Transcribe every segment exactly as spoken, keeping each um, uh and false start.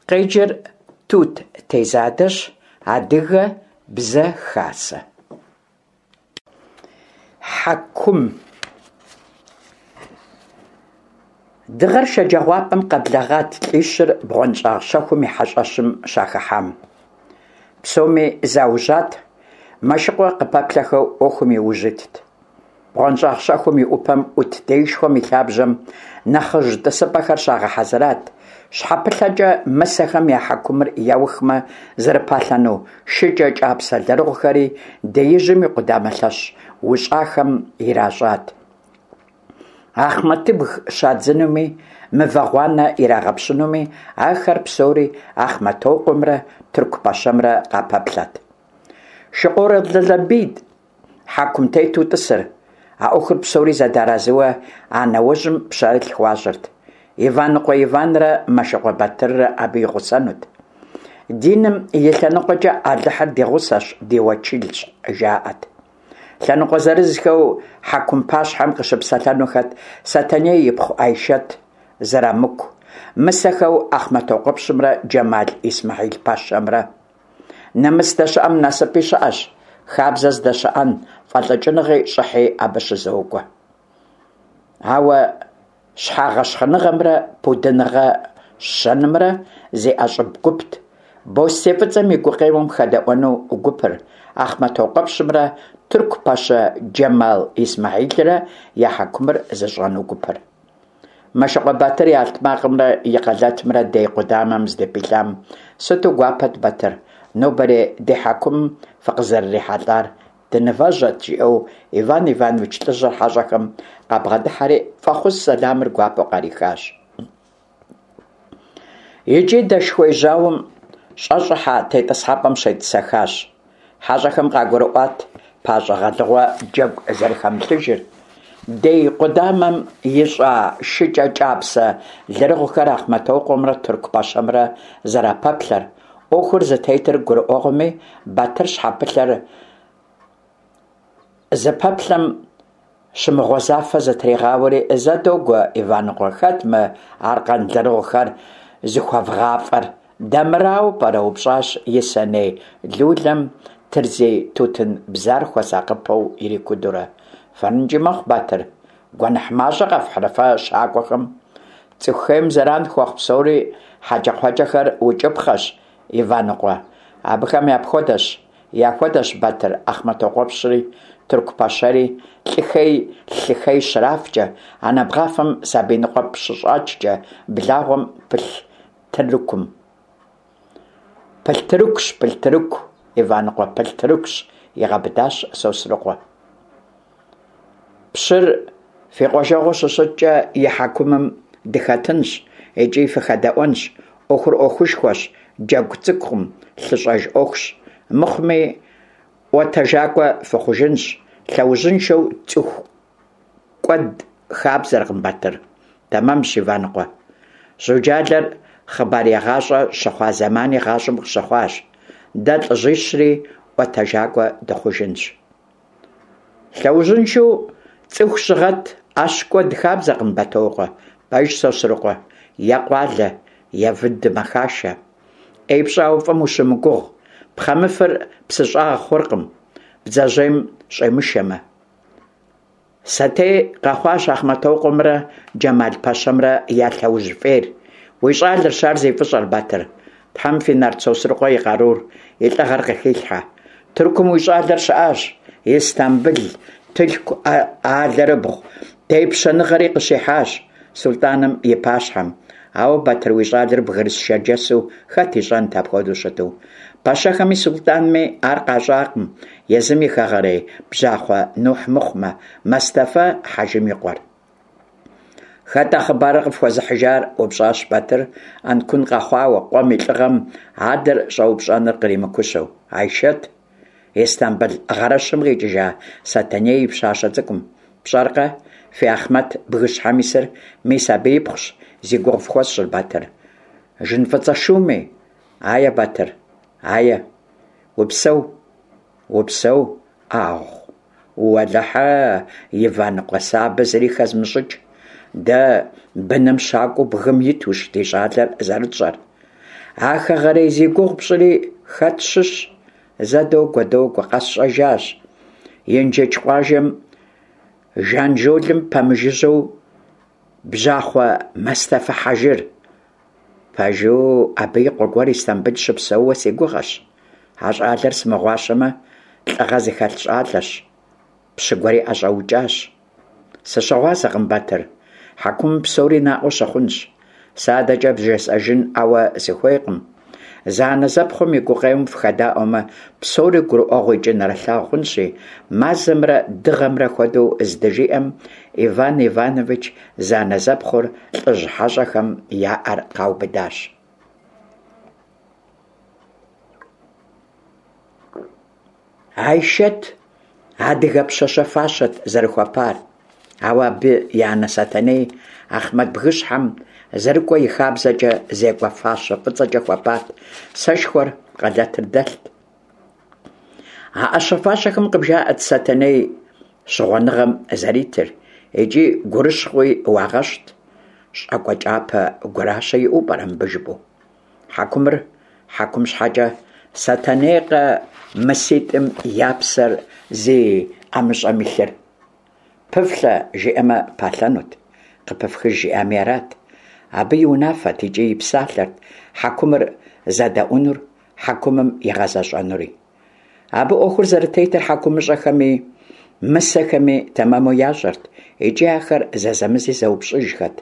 Къеджэр Тут Тезадэщ, Адыгэ Бзэ Хасэ. Хьэкум. Дыгъэр шэджагъуапӏэм къэблэгъат лӀищыр бгъуэнщӀагъ щэхум и хьэщӀэщым щахыхьам. Псоми заужьат, Мэшыкъуэ къыпэплъэхэу Ӏуэхум и ужь итт. БгъуэнщӀагъ щэхум и Ӏупэм Ӏут деишхуэм и лъабжьэм нэхъыжь тӀысыпӀэхэр щагъэхьэзырат, щхьэпылъэкӀэ мысэхэм я хьэкумыр яухмэ зэрыпалъэну шыкӀэ кӀапсэ лэрыгъухэри деижьым и къудамэ лъэщ ущӀахэм иращӀат. Ахъмэтыбг щадзынуми, мывэ гъуанэ ирагъэпщынуми, ахэр псори Ахъмэтокъуэмрэ тырку пэщэмрэ къапэплъэрт. Шыкъурэ Лалэбийт хьэкумтету тӀысыр. А Ӏуэхур псори зэдэарэзыуэ а нэужьым пщэрылъ хуащӀырт. Иваныкъуэ Иванрэ Мэшыкъуэ Батыррэ абы и гъусэнут. Диным и лъэныкъуэкӀэ Алыхьыр ди гъусэщ, ди уэчылщ, жаӀэрт. Лъэныкъуэ зырызхэу хьэкум пащхьэм къыщыпсэлъэнухэт Сэтэней ипхъу Айшэт, Зырамыку, мысэхэу Ахъмэтокъуэпщымрэ Джэмал Исмэхьил пэщэмрэ. Нэмыс здэщыӀэм насыпи щыӀэщ, хабзэ здэщыӀэн, фӀэлӀыкӀыныгъи щӀыхьи абы щызокӀуэ. Ауэ щхьэгъэщхъыныгъэмрэ пудыныгъэ щэнымрэ зи ӀэщӀыб гупт бостей фӀыцӀэм и гукъеуэм хэдэӀуэну гупыр, Ахъмэтокъуэпщымрэ тырку пэщэ Джэмал Исмэхьилрэ я хьэкумыр зыщӀэну гупыр. Мэшыкъуэ Батыр и алътмакъымрэ и къэлэтымрэ дей къудамэм здыпилъам: «Сыту гуапэт, Батыр, нобэрей ди хьэкумым фыкъызэрырихьэлӀар, дынывэжьэрт», жиӀэу Иван Иванович лӀыжьыр хьэщӀэхэм къабгъэдыхьэри фӀэхъус сэламыр гуапэу къарихащ. ИкӀи дэшхуей жьауэм щӀэщӀыхьа тетӀысхьэпӀэм щетӀысэхащ. ХьэщӀэхэм къагурыӀуат пащӀэ гъэлыгъуэ джэгу зэрыхэмылъыжыр, дей къудамэм ищӀа шыкӀэ кӀапсэ лэрыгъухэр Ахъмэтокъуэмрэ тырку пэщэмрэ зэрапэплъэр. Ӏуэхур зытетыр гурыӀуэгъуэми, Батыр щхьэпылъэр зыпэплъэм щымыгъуэзафэ зытригъауэри: «Зэ догуэ, Иваныкъуэ, хэт мы аркъэн лэрыгъухэр зыхуэвгъафӀэр, дэмырауэ пӀэрэ?» – еупщӀащ и сэней лулэм тырзей тутын бзар хуэсакъыпэу ирикудурэ. «ФэрынкӀи мэхъу, Батыр, гуэныхь мащӀэ къэфхьрэ фэ щакӀуэхэм? ЦӀыху хейм зэран хуэхъу псори хьэкӀэкхъуэкӀэхэр укӀыпхъэщ, Иваныкъуэ. Абыхэм япхуэдэщ, яхуэдэщ, Батыр, Ахъмэтокъуэпщри, тырку пэщэри, лӀы хей лъы хей щрафкӀэ, анэ бгъафэм сабий ныкъуэпӀ щыщӀачкӀэ, благъуэм пылъ тыркум. Пылътырыкущ, пылътырыку, Иваныкъуэ, пылътырыкущ, игъэбыдащ Сосрыкъуэ. Пщыр фи къуажэгъуу щыщыткӀэ, и хьэкумым дыхэтынщ икӀи фыхэдэӀуэнщ. Ӏуэхур Ӏуэхушхуэщ, джэгу цӀыкӀукъым, лъыщӀэж Ӏуэхущ. Мыхъуми, ӀуэтэжакӀуэ фыхъужынщ. Лъэужьыншэу цӀыху кӀуэд хабзэркъым, Батыр. Тэмэмщ, Иваныкъуэ. Жьуджалэр хъыбарегъащӀэ щыхъуа зэмани гъащӀэм къыщыхъуащ. Дэ лӀыжьищри ӀуэтэжакӀуэ дыхъужынщ. Лъэужьыншэу цӀыху щыгъэт, Ӏэщ кӀуэд хабзэкъым, Бэтокъуэ. Пэжщ, Сосрыкъуэ. Е къуалэ, е выд мэхашэ. Ӏей пщӀауэ фӀым ущымыгугъ. Пхъэмыфыр псы щӀагъ хъуркъым, бдзэжьейм щӀемышэмэ. Сэтей къэхъуащ Ахъмэтокъуэмрэ Джэмал пэщэмрэ я лъэужь фӀейр. Уи щӀалэрщ ар зи фӀыщӀэр, Батыр. Тхьэм фи нарт Сосрыкъуэ и къарур, и лӀыгъэр къыхилъхьэ. Тыркум уи щӀалэр щыӀащ, Истамбыл тылъку алэрыбгъу тепщэныгъэри къыщихьащ сулътӀаным и пащхьэм. Ауэ Батыр уи щӀалэр бгырыс шэрджэсу хэт ищӀэнт апхуэдэу щыту? Пэщэхэми сулътӀанми ар къащӀакъым, езым и хэгъэрей бжьахъуэ Нухь мыхъумэ, Мэстэфэ хьэжым и къуэр. Хэт а хъыбарыр къыфхуэзыхьыжар? – упщӀащ Батыр, Ӏэнкун къэхъуауэ, къуэм и лӀыгъэм адэр щӀэупщӀэныр къримыкущэу. Айшэт, Истамбыл гъэрыщым къикӀыжа Сэтэней и пщащэ цӀыкӀум. ПщӀэркъэ, фи Ахъмэт бгыщхьэм исыр, мис абы ипхъущ зи гугъу фхуэсщӀыр, Батыр. Жын фӀыцӀэ шуми? Ае, Батыр, ае. Упсэу, упсэу, Ӏагъу. Уэлэхьэ, Иваныкъуэ, сэ абы зыри хэзмыщӀыкӀ. Дэ быным щакӀуэу бгым итущ ди щӀалэр зэрытщӀэр. А хэгъэрей зи гугъу пщӏыри хэт щыщ? Зэ догуэ, догуэ, къэсщӏэжащ. Инжыдж къуажэм Жанжолым пэмыжыжьэу Бжьахъуэ Мэстэфэ Хьэжыр. Пэжу, абы и къуэ гуэр Истамбыл щыпсэууэ си гугъэщ. А щӏалэр сымыгъуащэмэ, лӏыгъэ зыхэлъ щӏалэщ. Пщы гуэри ӏэщӏэукӏащ. Сыщыгъуазэкъым, Батыр. Хьэкумым псори наӏуэ щыхъунщ. Сэ адэкӏэ бжесӏэжын ӏауэ сыхуейкъым. Зэанэзэпхъум и гукъеуэм фыхэдаӏуэмэ, псори гурыӏуэгъуэ икӏи нэрылъагъу хъунщи, мазэмрэ дыгъэмрэ хуэдэу здыжиӏэм, Иван Иванович зэанэзэпхъур лӏыжь хьэщӏэхэм я ӏэр къаубыдащ. Айшэт адыгэ пщащэ фащэт зэрыхуэпар, ауэ абы и анэ Сэтэней Ахъмэт бгыщхьэм зэрыкӏуэ и хабзэкӏэ зекӏуэ фащэ фӏыцӏэкӏэ хуэпат, сэшхуэр, къалэтыр дэлът. А ӏэщэ-фащэхэм къыбжаӏэрт Сэтэней щыгъуэныгъэм зэритыр икӏи гурыщхъуи уагъэщӏт, щӏакӏуэ кӏапэ гуращэ иӏэу пӏэрэ мыбы жыпӏэу. Хьэкумыр хьэкум щхьэкӏэ, Сэтэнейкъэ мыситӏым я псэр зи ӏэмыщӏэм илъыр? Пыфлъэ жиӏэмэ, палъэнут, къыпыфхыж жиӏами арат. Абы и унафэт икӏи и псалъэрт хьэкумыр зэдэӏуэнур, хьэкумым игъэзэщӏэнури. Абы ӏуэхур зэрытетыр хьэкумыщӏэхэми мысэхэми тэмэму ящӏэрт икӏи ахэр зэзэмызи зэупщӏыжхэт.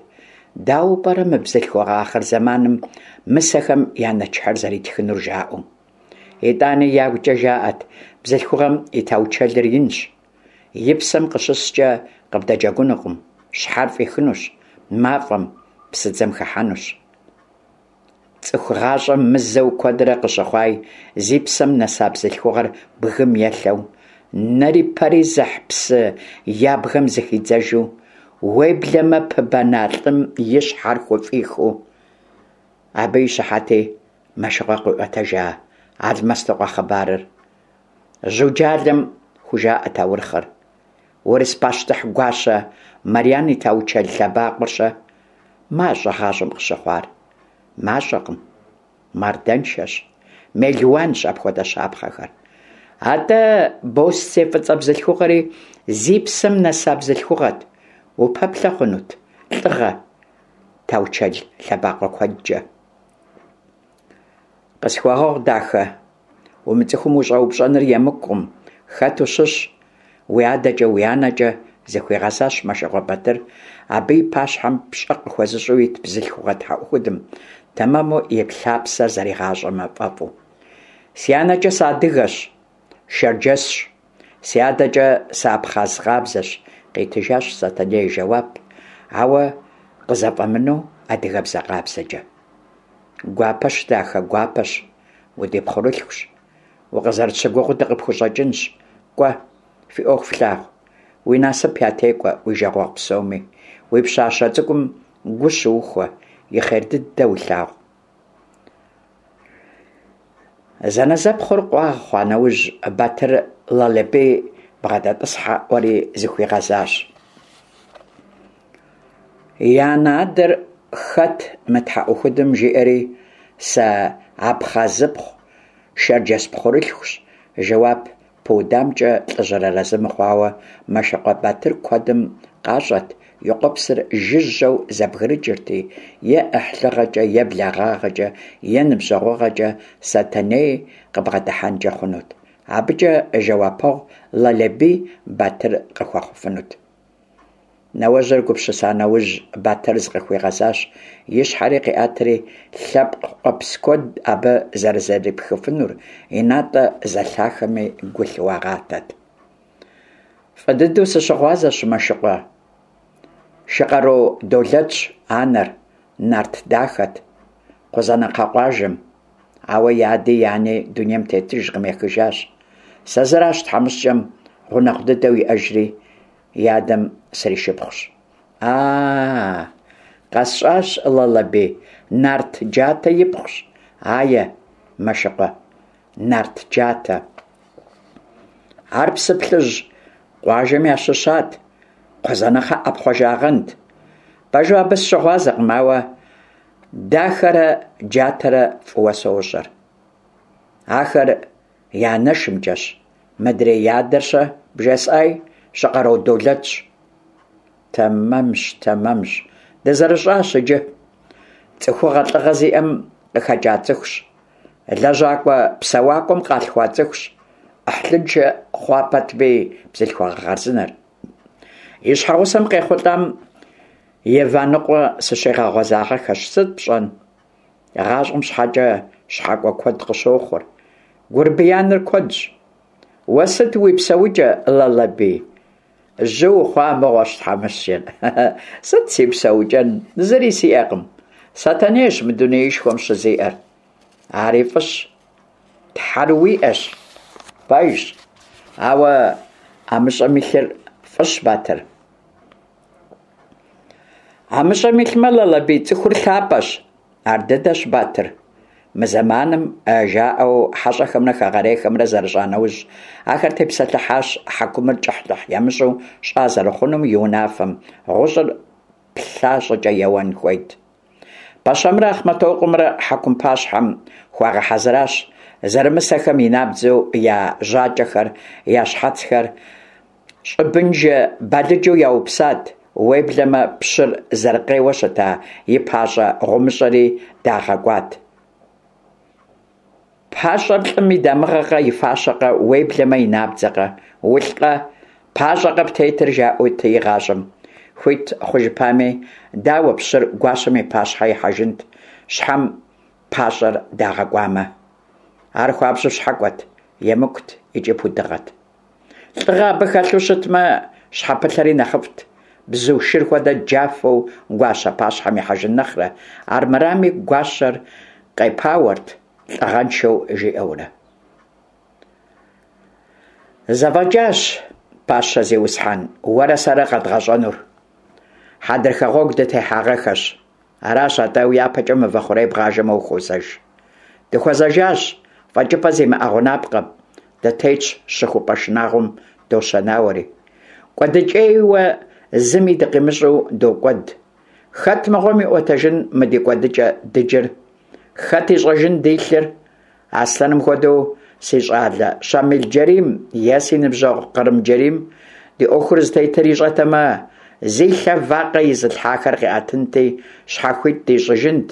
Дауэ пӏэрэ мы бзылъхугъэ ахъырзэманым мысэхэм я нэчыхьыр зэритхынур жаӏэу. Итӏани ягукӏэ жаӏэрт, бзылъхугъэм и таучэлыр инщ, и псэм къыщыскӏэ къыбдэджэгунукъым, щхьэр фӏихынущ, мафӏэм, псыдзэм хыхьэнущ. Цӏыху гъащӏэм мызэу куэдрэ къыщыхъуай зи псэм нэса бзылъхугъэр бгым елъэу, нэри пэри зыхь псы ябгэм зыхидзэжу, уеблэмэ пыбэна лӏым и щхьэр хуфӏихыу. Абы и щыхьэти Мэшыкъуэ къиӏуэтэжа Алмэстыкъуэ хъыбарыр. Жьуджалэм хужаӏэ таурыхъыр. Урыс пащтыхь гуащэ Марьян и таучэл лъэбакъуэр-щэ? Мащӏэ гъащӏэм къыщыхъуар? Мащӏэкъым. Мардэншэщ. Мелуанщ апхуэдэ щапхъэхэр. Атӏэ босцей фӏыцӏэ бзылъхугъэри зи псэм нэса бзылъхугъэт. Упэплъэ хъунут лӏыгъэ, таучэл лъэбакъуэ куэдкӏэ. Къысхуэгъэгъу, дахэ, умыцӏыхум ущӏэупщӏэныр емыкӏукъым, хэт ущыщ, уи адэкӏэ, уи анэкӏэ, зыхуигъэзащ Мэшыкъуэ Батыр абы и пащхьэм пщӏэ къыхуэзыщӏу ит бзылъхугъэ тхьэӏухудым, тэмэму и лъапсэр зэригъащӏэмэ фӏэфӏу. Си анэкӏэ сыадыгэщ, шэрджэсщ, си адэкӏэ сыабхъаз къабзэщ, къитыжащ Сэтэней жэуап, ауэ къызэфӏэмынэу адыгэбзэ къабзэкӏэ. Гуапэщ, дахэ, гуапэщ, удипхъурылъхущ, укъызэрытщыгугъыу дыкъыпхущӏэкӏынщ, кӏуэ, фи ӏуэху флъагъу, уи насып ятекӏуэ уи жагъуэгъу псоми, уи пщащэ цӏыкӏум гу щыухуэ, и хъер дыдэ улъагъу. Зэнэзэпхъур къуагъ хъуа нэужь, Батыр Лалэбий бгъэдэтӏысхьэӏуэри зыхуигъэзащ. И анэ-адэр хэт мы тхьэӏухудым жиӏэри, сэ абхъазыпхъу, шэрджэс пхъурылъхущ, жэуап пыудамкӏэ лӏыжьыр арэзы мыхъуауэ, Мэшыкъуэ Батыр куэдым къащӏэт, и къуэпсыр жыжьэу зэбгрыкӏырти, е ӏыхьлыгъэкӏэ, е благъагъэкӏэ, е ныбжьэгъугъэкӏэ Сэтэней къыбгъэдыхьэнкӏэ хъунут. Абыкӏэ жэуапэгъу Лалэбий Батыр къыхуэхъуфынут. Нэуэжьыр гупсыса нэужь, Батыр зыкъыхуигъэзащ, и щхьэри къиӏэтри, лъэпкъ къуэпс куэд абы зэрызэрипхыфынур и натӏэ зэлъахэми гу лъыуагъатэт. Фӏы дыдэу сыщыгъуазэщ, Мэшыкъуэ. Шыкъаро Долэтщ анэр, нарт дахэт, Кхъузанэкхъэ къуажэм. Ауэ и ади и ани дунейм тетыжкъым, ехыжащ. Сэ зыращ тхьэмыщкӏэм гъунэгъу дыдэу иӏэжри, и адэм сришыпхъущ. А-а, къэсщӏащ, Лалэбий, нарт джатэ ипхъущ. Ае, Мэшыкъуэ, нарт джатэ. Ар Псыплъыжь къуажэм ящыщат, Кхъузанэкхъэ ӏэпхъуэжагъэнт. Пэжу абы сыщыгъуазэкъым, ауэ Дахэрэ Джатэрэ фӀыуэ сощӀэр. Ахэр я анэшымкӀэщ. Мыдрей я адэр-щэ, бжесӀаи, Щыкъэро Долэтщ. Тэмэмщ, тэмэмщ, дызэрыщӀащ иджы. ЦӀыхугъэ, лӀыгъэ зиӀэм къыхэкӀа цӀыхущ. ЛэжьакӀуэ-псэуакӀуэм къалъхуа цӀыхущ. Ӏыхьлыншэ хъуа пэтми, бзылъхугъэ хъарзынэр. И щхьэгъусэм къехъулӀам Иваныкъуэ сыщигъэгъуэзагъэххэщ. Сыт пщӀэн? ГъащӀэм щхьэкӀэ щхьэкӀуэ куэд къыщохъур. Гурбияныр куэдщ. Уэ сыт уи псэукӀэ, Лалэбий? Жьы ухъуа мыгъуэщ, тхьэмыщкӀэр. Сыт си псэукӀэн, зыри сиӀэкъым. Сэтэнейщ мы дунеишхуэм щызиӀэр. Ари фӀыщ. Тхьэр уиӀэщ. Пэжщ. Ауэ ӀэмыщӀэм илъыр фӀыщ, Батыр. ӀэмыщӀэм илъмэ, Лалэбий, цӀыхур лъапӀэщ. Ар дыдэщ, Батыр. Мы зэманым жаӀэу хьэщӀэхэмрэ хэгъэрейхэмрэ зэрыщӀа нэужь, ахэр тепсэлъыхьащ хьэкумыр кӀыхьлӀыхь ямыщӀу щӀа зэрыхъунум и унафэм, гъущӀыр плъа щӀыкӀэ еуэн хуейт. Пэщэмрэ Ахъмэтокъуэмрэ хьэкум пащхьэм хуагъэхьэзыращ, зэрымысэхэм и набдзэу я жьакӀэхэр, я щхьэцхэр щӀыбыншэ балыджэу яупсат, уеблэмэ пщыр зэрыкъейуэ щыта и пащӀэ гъумыщӀэри дагъэкӀуат. ПащӀэр лӀым и дамыгъэкъэ, и фащэкъэ, уеблэмэ и набдзэкъэ? УлӀкъэ, пащӀэкъэ птетыр, жаӀэути игъащӀэм. Хуит хъужыпами, дауэ пщыр гуащэм и пащхьэ ихьэжынт, щхьэм пащӀэр дагъэкӀуамэ? Ар хуабжьу щхьэкӀуэт, емыкӀут икӀи пудыгъэт. ЛӀыгъэ абы хэлъу щытмэ, щхьэпылъэри нэхъыфӀт, бзу шыр хуэдэ джафэу гуащэ пащхьэм ихьэжын нэхърэ, армырами гуащэр къепауэрт лӀыгъэншэу жиӀэурэ. ЗэфӀэкӀащ, пащэ зиусхьэн, уэрэ сэрэ къэдгъэщӀэнур. Хьэдрыхэ гъуэгу дытехьагъэххэщ. Аращ атӀэ, уяпэкӀэ мывэ хъурей бгъажэмэ ухуозэж. Дыхуэзэжащ фӀэкӀыпӀэ зимыӀэ гъунапкъэм, дытетщ щыхупӀэ шынагъуэм дощэнауэри. КӀуэдыкӀейуэ зыми дыкъимыщӀэу докӀуэд. Хэт мыгъуэм иӀуэтэжын мы ди кӀуэдыкӀэ дыджыр? Хэт ищӀэжын ди лъыр? Аслъэным хуэдэу си щӀалэ Щамил-Джэрийм е си ныбжьэгъу Кърым-Джэрийм ди Ӏуэхур зытетыр ищӀэтэмэ, зи лъэ вакъэ изылъхьахэр къиӀэтынти, щхьэхуит дищӀыжынт,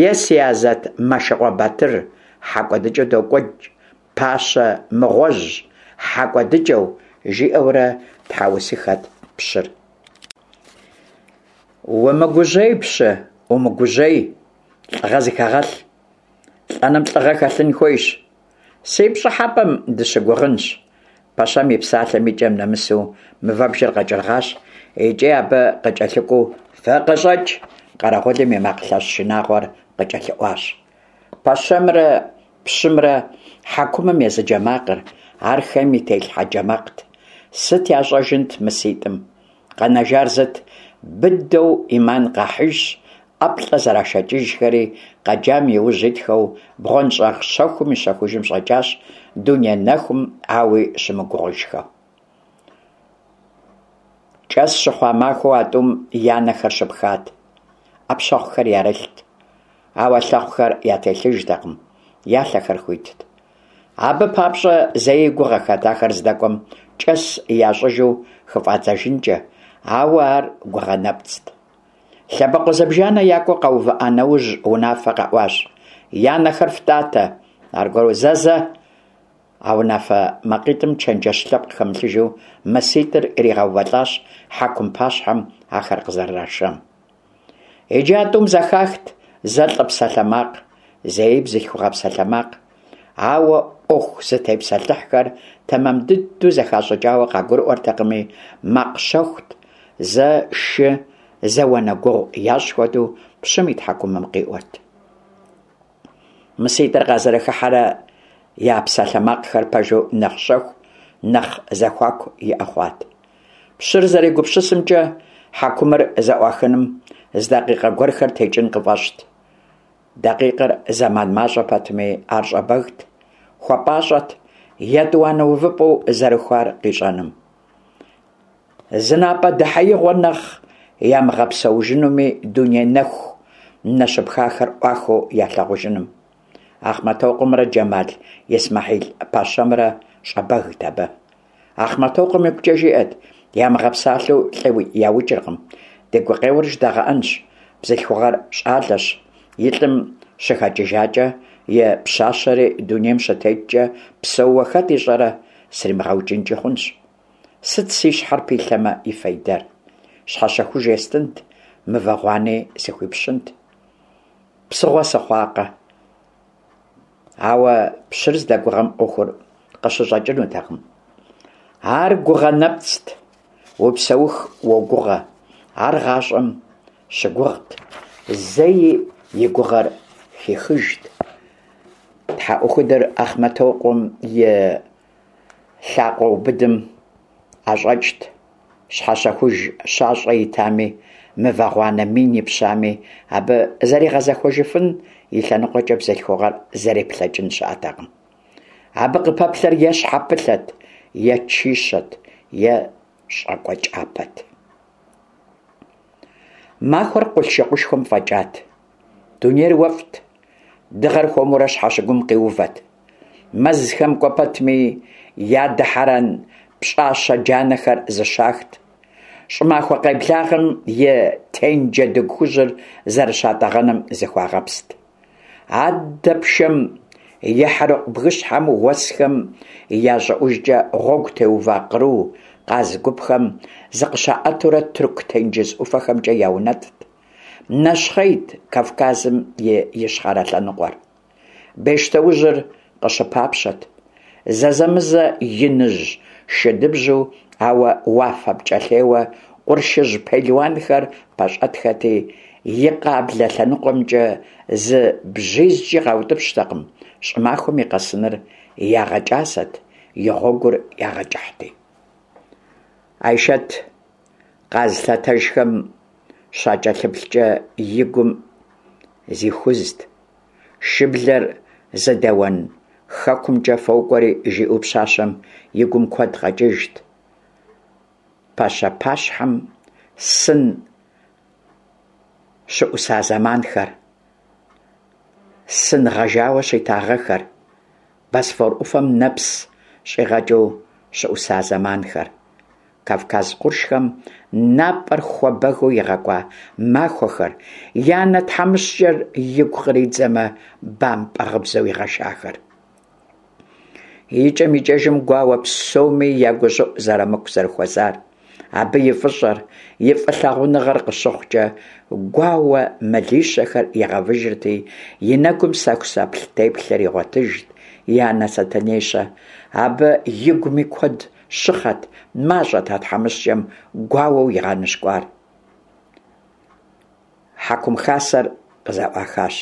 е си азэт Мэшыкъуэ Батыр, хьэ кӀуэдыкӀэу докӀуэкӀ, пащэ мыгъуэжь, хьэ кӀуэдыкӀэу, жиӀэурэ тхьэусыхэт пщыр. Умыгужьей, пщы, умыгужьей, лӀыгъэ зыхэгъэлъ. ЛӀэным лӀыгъэ хэлъын хуейщ. Си пщӀыхьэпӀэм дыщыгугъынщ. Пэщэм и псалъэм и кӀэм нэмысу мывэбжэр къэкӀыргъащ икӀи абы къыкӀэлъыкӀуэу «ФыкъыщӀэкӀ!» къэрэгъулым и макъ лъэщ шынагъуэр къыкӀэлъыӀуащ. Пэщэмрэ пщымрэ хьэкумым езыджэ макъыр, ар хейм и телъхьэ джэ макът. Сыт ящӀэжынт мыситӀым? Къэнэжар зыт – быдэу Ӏиман къахьыжщ, ӀэплӀэ зэрашэкӀыжхэри, къэджам и ужь итхэу бгъуэнщӀагъ щэхум и щэхужым щӀэкӀащ, дуней нэхум ауи щымыгугъыжхэу. КӀэс щыхъуа махуэу а тӀум я нэхэр щыпхат, Ӏэпщэхъухэр ярылът, ауэ лъэхъухэр ятелъыжтэкъым, я лъэхэр хуитт. Абы папщӀэ зэи гугъэхэт ахэр здэкӀуэм кӀэс ящӀыжу хыфӀадзэжынкӀэ, ауэ ар гугъэ нэпцӀт. Лъэбакъуэ зыбжанэ якӀуу къэувыӀа нэужь, унафэ къэӀуащ: «Я нэхэр фтӀатэ!» Аргуэру «Зэ-зэ!» А унафэ макъитӀым чэнджэщ лъэпкъ хэмылъыжу мыситӀыр иригъэувэлӀащ хьэкум пащхьэм ахэр къызэрырашам. Иджы а тӀум зэхахт зэ лӀы псалъэмакъ, зэи бзылъхугъэ псалъэмакъ. Ауэ Ӏуэху зытепсэлъыхьхэр тэмэм дыдэу зэхащӀыкӀауэ къагурыӀуэртэкъыми, макъ щэхут, зэ шы, зэ уанэ гугъу ящӀ хуэдэу пщым и тхьэкӀумэм къиӀуэрт. МыситӀыр къазэрыхыхьэрэ я псалъэмакъхэр пэжу нэхъ щэху, нэхъ зэхуаку иӀэ хъуат. Пщыр зэрегупсысымкӀэ, хьэкумыр зэӀуахыным зы дакъикъэ гуэрхэр текӀын къыфӀэщӀт. Дакъикъэр зэман мащӀэ пэтми, ар щӀэбэгт, хуэпӀащӀэт етӀуанэ увыпӀэу зэрыхуар къищӀэным. Зы напӀэ дэхьеигъуэ нэхъ ямыгъэпсэужынуми, дуней нэху нэ щыпхахэр ӏуахыу ялъагъужыным. Ахъмэтокъуэмрэ Джэмал Исмэхьил-пэщэмрэ щӏэбэгт абы. Ахъмэтокъуэм игукӏэ жиӏэрт: «Ямыгъэпсалъэу лӏы яукӏыркъым, ди гукъеуэр жыдагъэӏэнщ, бзылъхугъэр щӏалэщ, и лӏым щыхэкӏыжакӏэ, и пщащэри дунейм щытеткӏэ, псэууэ хэт ищӏэрэ, сримыгъэукӏынкӏи хъунщ. Сыт си щхьэр пилъэмэ и фейдэр? Щхьэщэхуж естынт, мывэ гъуани сыхуипщынт. Псыгъуэ сыхъуакъэ». Ауэ пщыр здэгугъэм ӏуэхур къыщыщӏэкӏынутэкъым. Ар гугъэ нэпцӏт, упсэуху уогугъэ. Ар гъащӏэм щыгугът, зэи и гугъэр хихыжт. Тхьэӏухудыр Ахъмэтокъуэм и лъакъуэубыдым ӏэщӏэкӏт. Щхьэщэхуж щащӏэ итами, мывэ гъуанэ мин ипщами, абы зэригъэзэхуэжыфын и лъэныкъуэкӏэ бзылъхугъэр зэреплъэкӏын щыӏэтэкъым. Абы къыпэплъэр е щхьэпылъэт, е чищэт, е щӏакӏуэ кӏапэт. Махуэр къулъшыкъушхуэм фӏэкӏат. Дунейр уэфӏт, дыгъэр хуэмурэ щхьэщыгум къиувэт. Мэзхэм кӏуэ пэтми я дыхьэрэн пщӏащэ джанэхэр зыщахт. Щӏымахуэ къеблагъэм и тенджэдыгу хужьыр зэрыщатӏэгъэным зыхуагъэпст. Аддэ пшэм Ехьэрыкъу бгыщхьэм уэсхэм я щӏыӏужкӏэ гъуэгу теува къру, къаз гупхэм зыкъыщаӏэтурэ Тырку тенджыз ӏуфэхэмкӏэ яунэтӏт. Нэщхъейт Кавказым и ищхъэрэ лъэныкъуэр. Бещтоужьыр къыщыпапщэт. Зэзэмызэ иныжь шыдыбжьу, ауэ уафэ пкӏэлъейуэ къуршыжь пелуанхэр пэщӏэтхэти, и къаблэ лъэныкъуэмкӏэ зы бжьизкӏи къаутӏыпщтэкъым, щӏымахуэм и къэсыныр ягъэкӏасэт, и гъуэгур ягъэкӏыхьти. Айшэт къаз лъэтэжхэм щакӏэлъыплъкӏэ и гум зихузт. Шыблэр зыдэуэн хэкумкӏэ фокӏуэри, жиӏэу пщащэм и гум куэд къэкӏыжт. Пэщэ пащхьэм сын щыӏуса зэманхэр, сын гъэжауэ щита гъэхэр, Босфор ӏуфэм нэпс щӏигъэкӏыу щыӏуса зэманхэр, Кавказ къуршхэм напӏэр хуэбэгыу игъэкӏуа махуэхэр, и анэ тхьэмыщкӏэр игу къридзэмэ, бампӏэ гъыбзэу игъэшахэр. Икӏэм-икӏэжым гуауэ псоми я гущӏыӏу Зэрамыку зэрыхуэзар, абы и фӏыщӏэр, и фӏылъагъуныгъэр къыщыхъукӏэ, гуауэ мылищэхэр игъэвыжырти, и нэгум сэхусэплъ теплъэр игъуэтыжт. И анэ Сэтэней-щэ? Абы игуми куэд щыхъэт, мащӏэт а тхьэмыщкӏэм гуауэу игъэныщкӏуар. Хьэкум хасэр къызэӏуахащ.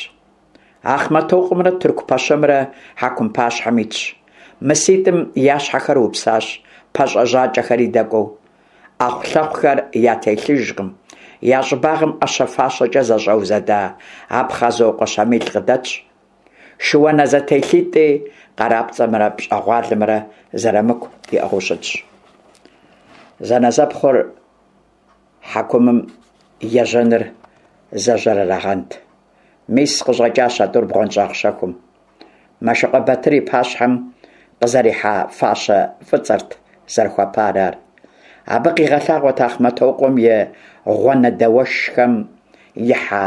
Ахъмэтокъуэмрэ тырку пэщэмрэ хьэкум пащхьэм итщ. Мыситӏым я щхьэхэр упсащ, пащӏэ-жьакӏэхэри дэкӏуэу. ӏэхъулъэхъухэр ятелъыжкъым. Я щӏыбагъым ӏэщэ-фащэкӏэ зэщӏэузэда Апхъазокъуэ Щамил къыдэтщ. Шыуанэ зэтелъитӏи къарапцӏэмрэ пщӏэгъуалэмрэ Зэрамыку иӏыгъыу щытщ. Зэнэзэпхъур хьэкумым ежьэныр зэжьэр арагъэнт. Мис къыщӏэкӏащ а тӏур бгъуэнщӏагъ щэхум. Мэшыкъуэ Батыр и пащхьэм къызэрихьа фащэ фӏыцӏэрт зэрыхуэпар ар. Абы къигъэлъагъуэт Ахъмэтокъуэм и гъуанэдэуэшхэм ихьа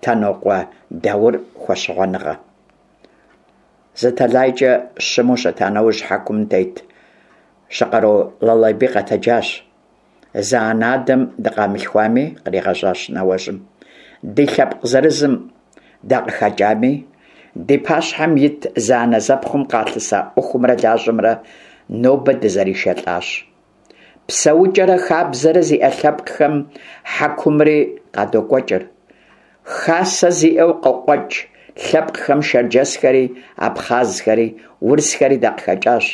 Тэнокъуэ Даур хуэщыгъуэныгъэ. Зы тэлайкӏэ щыму щыта нэужь хьэкумым тет Щыкъару Лалайбий къэтэджащ. Зы анэ-адэм дыкъамылъхуами, къригъэжьащ нэуэжьым, ди лъэпкъ зырызым дакъыхэкӏами, ди пащхьэм ит зэанэзэпхъум къалъыса ӏуэхумрэ лажьэмрэ нобэ дызэришэлӏащ. Псэукӏэрэ хабзэрэ зиӏэ лъэпкъхэм хьэкумри къадокӏуэкӏыр. Хасэ зиӏэу къыкъуэкӏ лъэпкъхэм шэрджэсхэри, абхъазхэри, урысхэри дакъыхэкӏащ.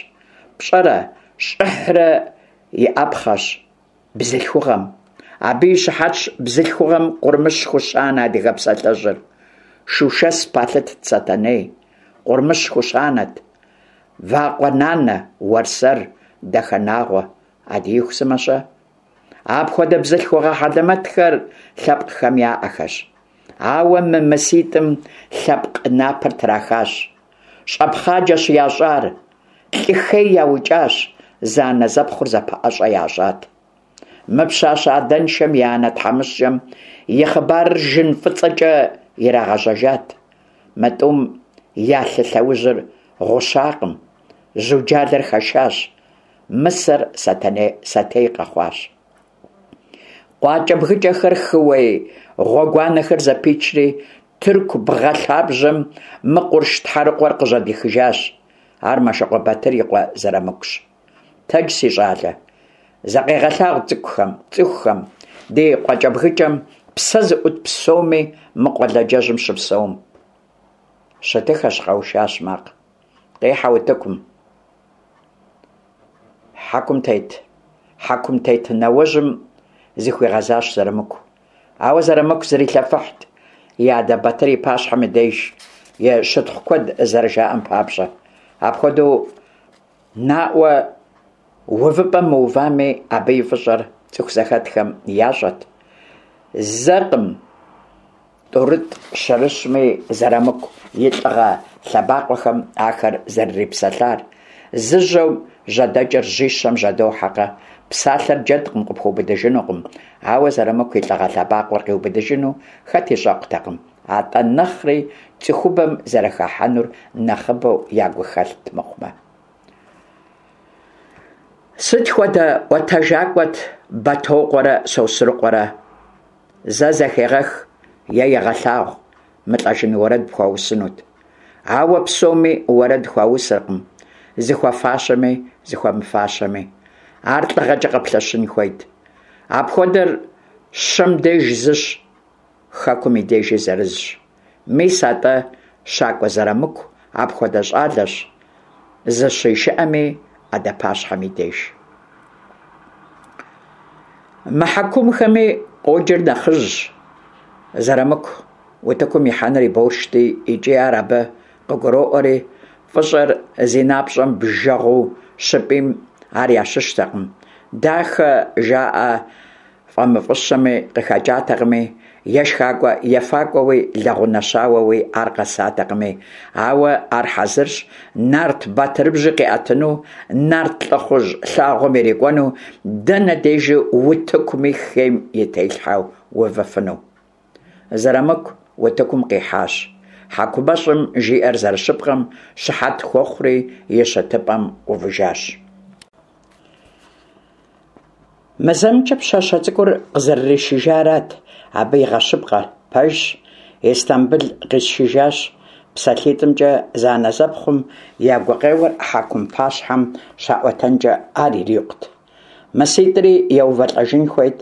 Пщӏэрэ щӏыхьрэ иӏэпхъэщ бзылъхугъэм. Абы и щыхьэтщ бзылъхугъэм къурмыщ хущанэ адыгэ псалъэжьыр. Шушэс палъытт Сэтэней, къурмыщ хущанэт. Вакъуэ нанэ, Уэрсэр, Дахэнагъуэ, Адииху сымэ-щэ? Апхуэдэ бзылъхугъэ хьэлэмэтхэр лъэпкъхэм яӏэхэщ. Ауэ мы мыситӏым лъэпкъ напэр трахащ. Щӏэпхъаджэщ ящӏар, лӏы хей яукӏащ, зэанэзэпхъур зэпэӏэщӏэ ящӏат. Мы пщащэ адэншэм и анэ тхьэмыщкӏэм и хъыбарыр жын фӏыцӏэкӏэ ирагъэжьэжат. Мы тӏум я лъы лъэужьыр гъущакъым, жьуджалэр хэшащ, мысэр сэтей къэхъуащ. Къуакӏэбгыкӏэхэр, хыуей гъуэгуанэхэр зэпичри, тырку бгъэ лъабжьэм мы къурш тхьэрыкъуэр къыжьэдихыжащ. Ар Мэшыкъуэ Батыр и къуэ Зэрамыкущ. Тэдж, си щӏалэ, закъегъэлъагъу цӏыкӏухэм, цӏыхухэм, ди къуакӏэбгыкӏэм псэ зыӏут псоми мы къуэладжэжьым щыпсэум. Щытыхэщ, къэушащ макъ. Къихьэ утыкум. Хьэкум тет, хьэкум тет нэуэжьым зыхуигъэзащ Зэрамыку. Ауэ Зэрамыку зрилъэфыхьт и адэ Батыр и пащхьэм и деж и щытхъу куэд зэрыжаӏэм папщӏэ. Апхуэдэу наӏуэ увыпӏэм мыувами, абы и фӏыщӏэр цӏыху зэхэтхэм ящӏэт. Зэкъым тӏурытӏ-щырыщми Зэрамыку и лӏыгъэ лъэбакъуэхэм ахэр зэрырипсэлъар. Зы жьэм жьэдэкӏыр жьищэм жьэдохьэкъэ? Псалъэр джэдкъым, къыпхуэубыдыжынукъым. Ауэ Зэрамыку и лӏыгъэ лъэбакъуэр къиубыдыжыну хэти щӏэкъутэкъым, атӏэ нэхъри цӏыхубэм зэрыхахьэнур нэхъыбэу ягу хэлът мыхъумэ. Сыт хуэдэ ӏуэтэжакӏуэт Бэтокъуэрэ Сосрыкъуэрэ? Зэ зэхегъэх е егъэлъагъу, мылӏэжын уэрэд пхуаусынут. Ауэ псоми уэрэд хуаусыркъым, зыхуэфащэми зыхуэмыфащэми. Ар лӏыгъэкӏэ къэплъэщын хуейт. Апхуэдэр щэм деж зыщ, хэкум и дежи зырызщ. Мис атӏэ Щакӏуэ Зэрамыку апхуэдэ щӏалэщ, зыщишыӏэми адэ пащхьэм и деж. Мы хьэкумхэми къоджэр нэхъыжьщ. Зэрамыку утыкум ихьэныр и боршти, икӏи ар абы къыгуроӏуэри, фӏыщӏэр зи напщӏэм бжэгъуу щыпӏийм ар ящыщтэкъым. Дахэ жаӏэ фӏэмыфӏыщэми къыхэкӏатэкъыми, ешхакӏуэ-ефакӏуэуи лэгъунэщауэуи ар къэсатэкъыми, ауэ ар хьэзырщ нарт батырыбжьи къиӏэтыну, нарт лӏыхъужь лъагъуэм ирикӏуэну, дэнэ дежи утыкуми хейм и телъхьэу увыфыну. Зэрамыку утыкум къихьащ. Хьэкумэщӏым жиӏэр зэрыщыпкъэм щыхьэт хуэхъури и щытыпӏэм увыжащ. Мы зэмкӏэ пщащэ цӏыкӏур къызэрыришыжарат абы игъэщыпкъэр. Пэжщ, Истамбыл къисшыжащ. Псалъитӏымкӏэ зэанэзэпхъум я гукъеуэр хьэкум пащхьэм щаӏуэтэнкӏэ ар ирикъут. Мыситӏри еувэлӏэжын хуейт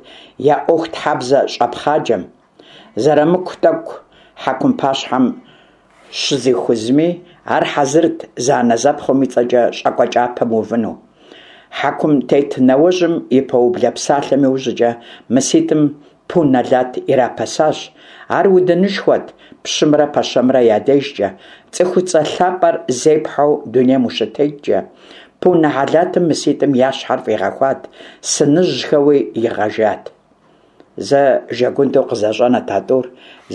я ӏуэхутхьэбзэ щӏэпхъаджэм. Зэрамыку тӏэкӏу хьэкум пащхьэм щызихузми, ар хьэзырт зэанэзэпхъум и цӏэкӏэ щӏакӏуэ кӏапэм увыну. Хьэкум тет нэуэжьым и пэублэ псалъэм иужькӏэ мыситӏым пу нэлат ирапэсащ. Ар удынышхуэт пщымрэ пэщэмрэ я дежкӏэ, цӏыхуцӏэ лъапӏэр зепхьэу дунейм ущытеткӏэ. Пу нэлатым мыситӏым я щхьэр фӏигъэхуат, сыныжьхэуи игъэжат. Зэ жэгундэу къызэщӏэнэт а тӏур,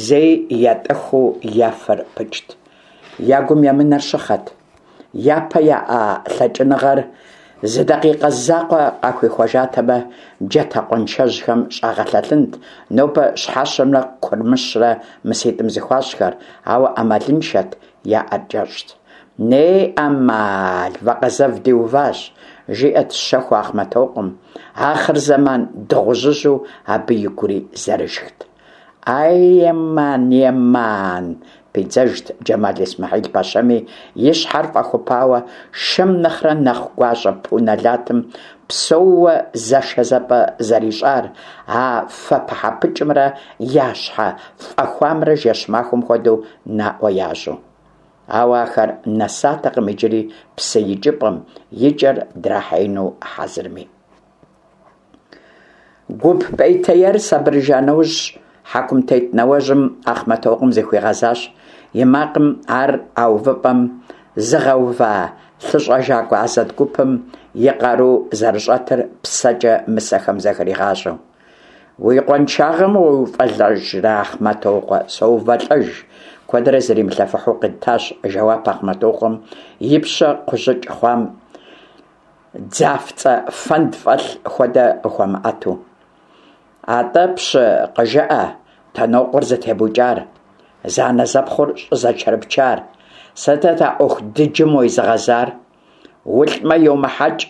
зэи ятӏэхыу я фэр пыкӏт. Я гум емынэр щыхъэт. Япэ яӏа лъэкӏыныгъэр зы дакъикъэ закъуэ къахуихуэжатэмэ, джатэ къуаншэжьхэм щӏагъэлъэлъынт нобэ щхьэщэмрэ курмыщрэ мыситӏым зыхуащӏхэр, ауэ ӏэмалыншэт, я ӏэр кӏэщӏт. Неӏэмал, вакъэзэв диуващ, жиӏэт щэхуу Ахъмэтокъуэм. Ахъырзэман дыгъужьыжьу абы игури зэрышхт. Ай, еман, еман, пидзэжт Джэмал Исмэхьил пэщэми, и щхьэр фӏэхупауэ, шэм нэхърэ нэхъ гуащӏэ пу нэлатым псэууэ зэшэзэпӏэ зэрищӏар, а фэ пыхьэпыкӏымрэ я щхьэ фӏэхуамрэ жэщ-махуэм хуэдэу наӏуэ ящӏу. Ауэ ахэр нэсатэкъым иджыри псы икӏыпӏэм, и кӏэр драхьеину хьэзырми. Гуп пӏейтеяр сабырыжа нэужь, хьэкум тет нэуэжьым Ахъмэтокъуэм зыхуигъэзащ, и макъым ар а увыпӏэм зыгъэува лъыщӏэжакӏуэ Азэт гупым и къару зэрыщӏэтыр псэкӏэ мысэхэм зэхригъащӏэу. Уи къуаншагъэм уеувэлӏэжрэ, Ахъмэтокъуэ? Соувэлӏэж, куэдрэ зримылъэфыхьу къитащ жэуап Ахъмэтокъуэм, и пщэ кхъужьыкӏ хъуам дзафцӏэ фэнд фӏэлъ хуэдэ къыхуэмыӏэту. Атӏэ, пщы, къыжыӏэ, Танокъуэр зытебукӏар, зэанэзэпхъур щӏызэкӏэрыпчар? Сытыт а ӏуэху дыджым уезыгъэзар? Улӏмэ, йомыхьэкӏ,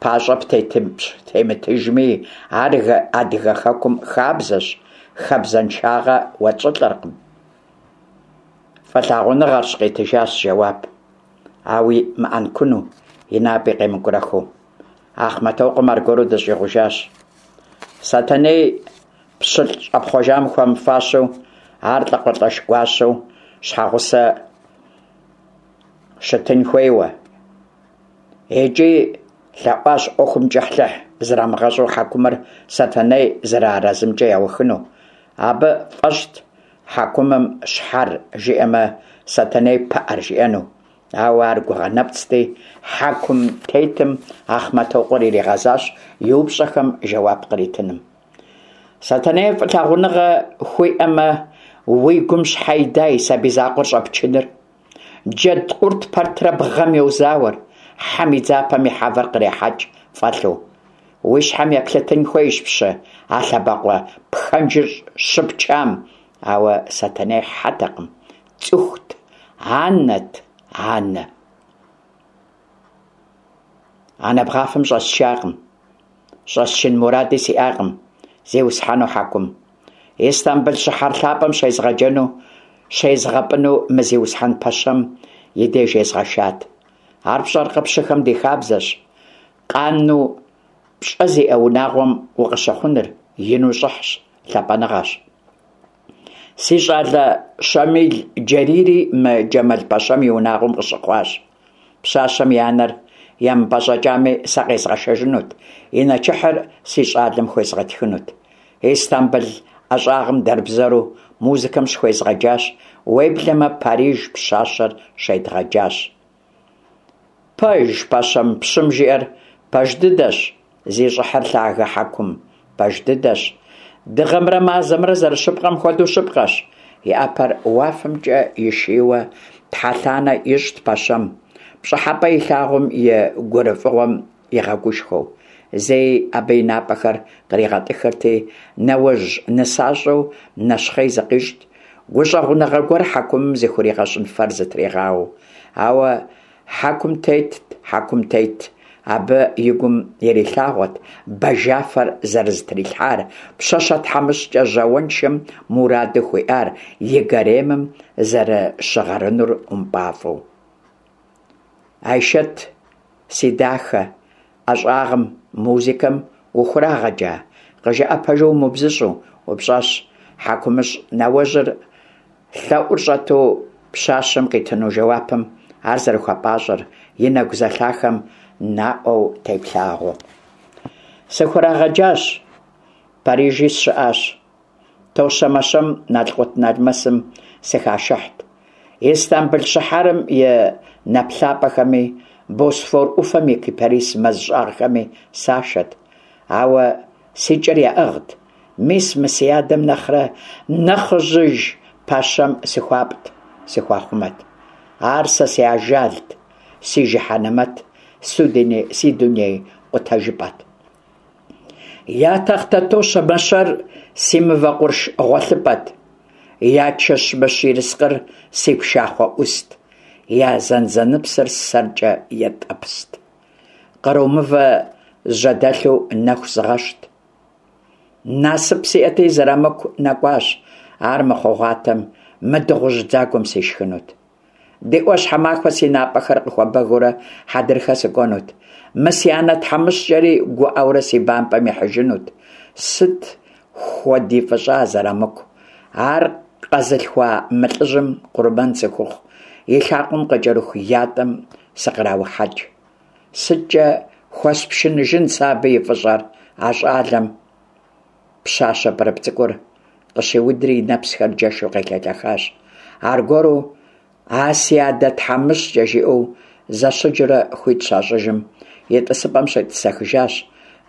пащӏэ птемытыжми, ар адыгэ хэкум хабзэщ, хабзэншагъэ уэтщӏылӏэркъым. Фӏылъагъуныгъэрщ, къитыжащ жэуап, ауи мыӏэнкуну, и напӏи къемыкӏурэхыу. Ахъмэтокъуэм аргуэру дыщӏигъужащ. Сэтэней пщылӏ щӏэпхъуэжам хуэмыфащэу, ар лӏакъуэлӏэш гуащэу щхьэгъусэ щытын хуейуэ. Икӏи лъэӏуащ ӏуэхум кӏыхьлӏыхь зрамыгъэщӏу хьэкумыр Сэтэней зэрыарэзымкӏэ яухыну. Абы фӏэщӏт хьэкумым щхьэр жиӏэмэ, Сэтэней пыӏэр жиӏэну. Ауэ ар гугъэ нэпцӏти, хьэкум тетым Ахъмэтокъуэр иригъэзащ и упщӏэхэм жэуап къритыным. Сэтэней фӏылъагъуныгъэ хуиӏэмэ, уи гум щхьэ ида и сабий закъуэр щӏэпчыныр? Джэд къурт пэтрэ бгъэм йозауэр, хьэм и дзапэм и хьэвэр кърехьэкӏ фӏэлъу. Уи щхьэм еплъытын хуейщ, пщы, а лъэбакъуэ пхэнжыр щыпчам. Ауэ Сэтэней хьэтэкъым, цӏыхут, анэт, анэ. Анэ бгъафэм щӏэсчакъым, щӏэсчын муради сиӏакъым, зиусхьэну хьэкум. Истамбыл щыхьэр лъапӏэм щезгъэджэну, щезгъэпӏыну мы зиусхьэн пэщэм и деж езгъэшат. Ар пщӏэркъэ, пщыхэм ди хабзэщ. Къану пщӏэ зиӏэ унагъуэм укъыщыхъуныр ину щӏыхьщ, лъапӏэныгъэщ. Си щӏалэ Щамил Джэрийри мы Джэмал пэщэм и унагъуэм къыщыхъуащ. Пщащэм и анэр емыпӏэщӏэкӏами, сэ къезгъэшэжынут, и нэчыхьыр си щӏалэм хуезгъэтхынут. Истамбыл ӏэщӏагъэм дэрбзэру музыкэм щыхуезгъэджащ, уеблэмэ Париж пщащэр щедгъэджащ. Пэж, пэщэм, пщым жиӏэр пэж дыдэщ, зи щӏыхьыр лъагэ хьэкум, пэж дыдэщ. Дыгъэмрэ мазэмрэ зэрыщыпкъэм хуэдэу щыпкъэщ. И ӏэпэр уафэмкӏэ ишийуэ тхьэлъанэ ищӏт пэщэм, пщӏыхьэпӏэ илъагъум и гурыфӏыгъуэм игъэгушхуэу. Зэи абы и напӏэхэр къригъэтӏыхырти, нэужь нысащӏэу нэщхъей зыкъищӏт, гущӏэгъуныгъэ гуэр хьэкумым зыхуригъэщӏын фэр зытригъауэу. Ауэ хьэкум тетт, хьэкум тет, абы и гум ирилъагъуэт бажафэр зэрызытрилъхьар, пщащэ тхьэмыщкӏэ жьауэншэм мураду хуиӏар и гаремым зэрыщыгъэрынур ӏумпӏафӏэу. Айшэт, си дахэ, ӏэщӏагъэм, музыкэм ухурагъэджа? Къыжыӏэ пэжу умыбзыщӏу, упщӏащ хьэкумыщӏ нэуэжьыр лъэӏур щӏэту пщащэм къитыну жэуапым ар зэрыхуэпӏащӏэр и нэгу зэлъахэм наӏуэу теплъагъуэу. Сыхурагъэджащ, Парижи сщыӏащ. Тощэ-мэщэм налкъутналмэсым сыхашыхьт. Истамбыл щыхьэрым и нэплъапӏэхэми, Босфор ӏуфэм и кипарис мэз щӏагъхэми сашэт. Ауэ си кӏэр яӏыгът, мис мы си адэм нэхърэ нэхъыжьыж пэщэм сыхуапӏт, сыхуахъумэт. Ар сэ си ажалт, си жыхьэнэмэт, си дуней къутэжыпӏэт. Я тахътэ тощэ-мэщэр си мывэ къурш гъуэлъыпӏэт, я чэщмыщ ерыскъыр си пшахъуэ ӏуст, я зэнзэныпсыр сэркӏэ етӏэпст. Къру мывэ жьэдэлъу нэху згъэщт. Насып сиӏэти, Зырамыку нэкӏуащ, ар мыхъугъуатэм мы дыгъужь дзагуэм сишхынут. Ди ӏуащхьэмахуэ си напӏэхэр къыхуэбэгыурэ хьэдрыхэ сыкӏуэнут. Мы си анэ тхьэмыщкӏэри гуӏэурэ си бампӏэм ихьыжынут. Сыт хуэди фӏыщӏа Зырамыку? Ар къэзылъхуа мы лӏыжьым къурмэн сыхухъу, и лъакъуэм къыкӏэрыху ятӏэм сыкъраухьэкӏ. Сыткӏэ хуэспшыныжын сэ абы и фӏыщӏэр а щӏалэм? Пщащэ пӏырыпӏ цӏыкӏур къыщиудри и нэпсхэр джэшу къелъэлъэхащ. Аргуэру а си адэ тхьэмыщкӏэ жиӏэу зэщыджурэ хуит щащӏыжым, и тӏысыпӏэм щетӏысэхыжащ,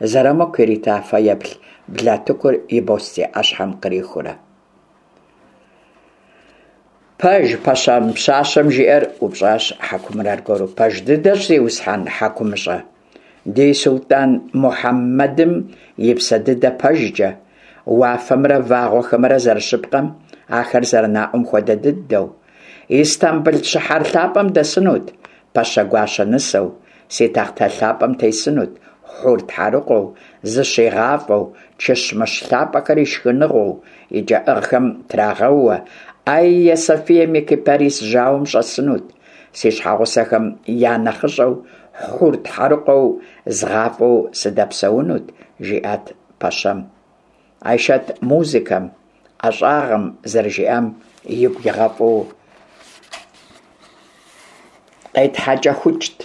Зырамыку ирита фэеплъ блатыкур и бостей ӏэщхьэм кърихыурэ. Пэж пэщэм пщащэм жиӏэр? – упщӏащ хьэкумыр аргуэру. – Пэж дыдэщ, зиусхьэн хьэкумыщӏэ, ди сулътӏан Мухьэммэдым и псэ дыдэ пэжкӏэ, уафэмрэ вагъуэхэмрэ зэрыщыпкъэм, ахэр зэрынаӏуэм хуэдэ дыдэу. Истамбыл щыхьэр лъапӏэм дэсынут пэщэ гуащэ нысэу, си тахътэ лъапӏэм тесынут хур тхьэрыкъуэу, зыщигъафӏэу, чыщмыщ лъапӏэхэр и шхыныгъуэу, и кӏэӏыгъхэм трагъэууэ, Айя Софием и кипарис жьауэм щӏэсынут, си щхьэгъусэхэм я нэхъыщӏэу хур тхьэрыкъуэу згъафӏэу сыдэпсэунут, жиӏат пэщэм. Айшэт музыкэм, ӏэщӏагъэм зэрыжиӏам игу игъэфӏу къетхьэкӏэхукӏт.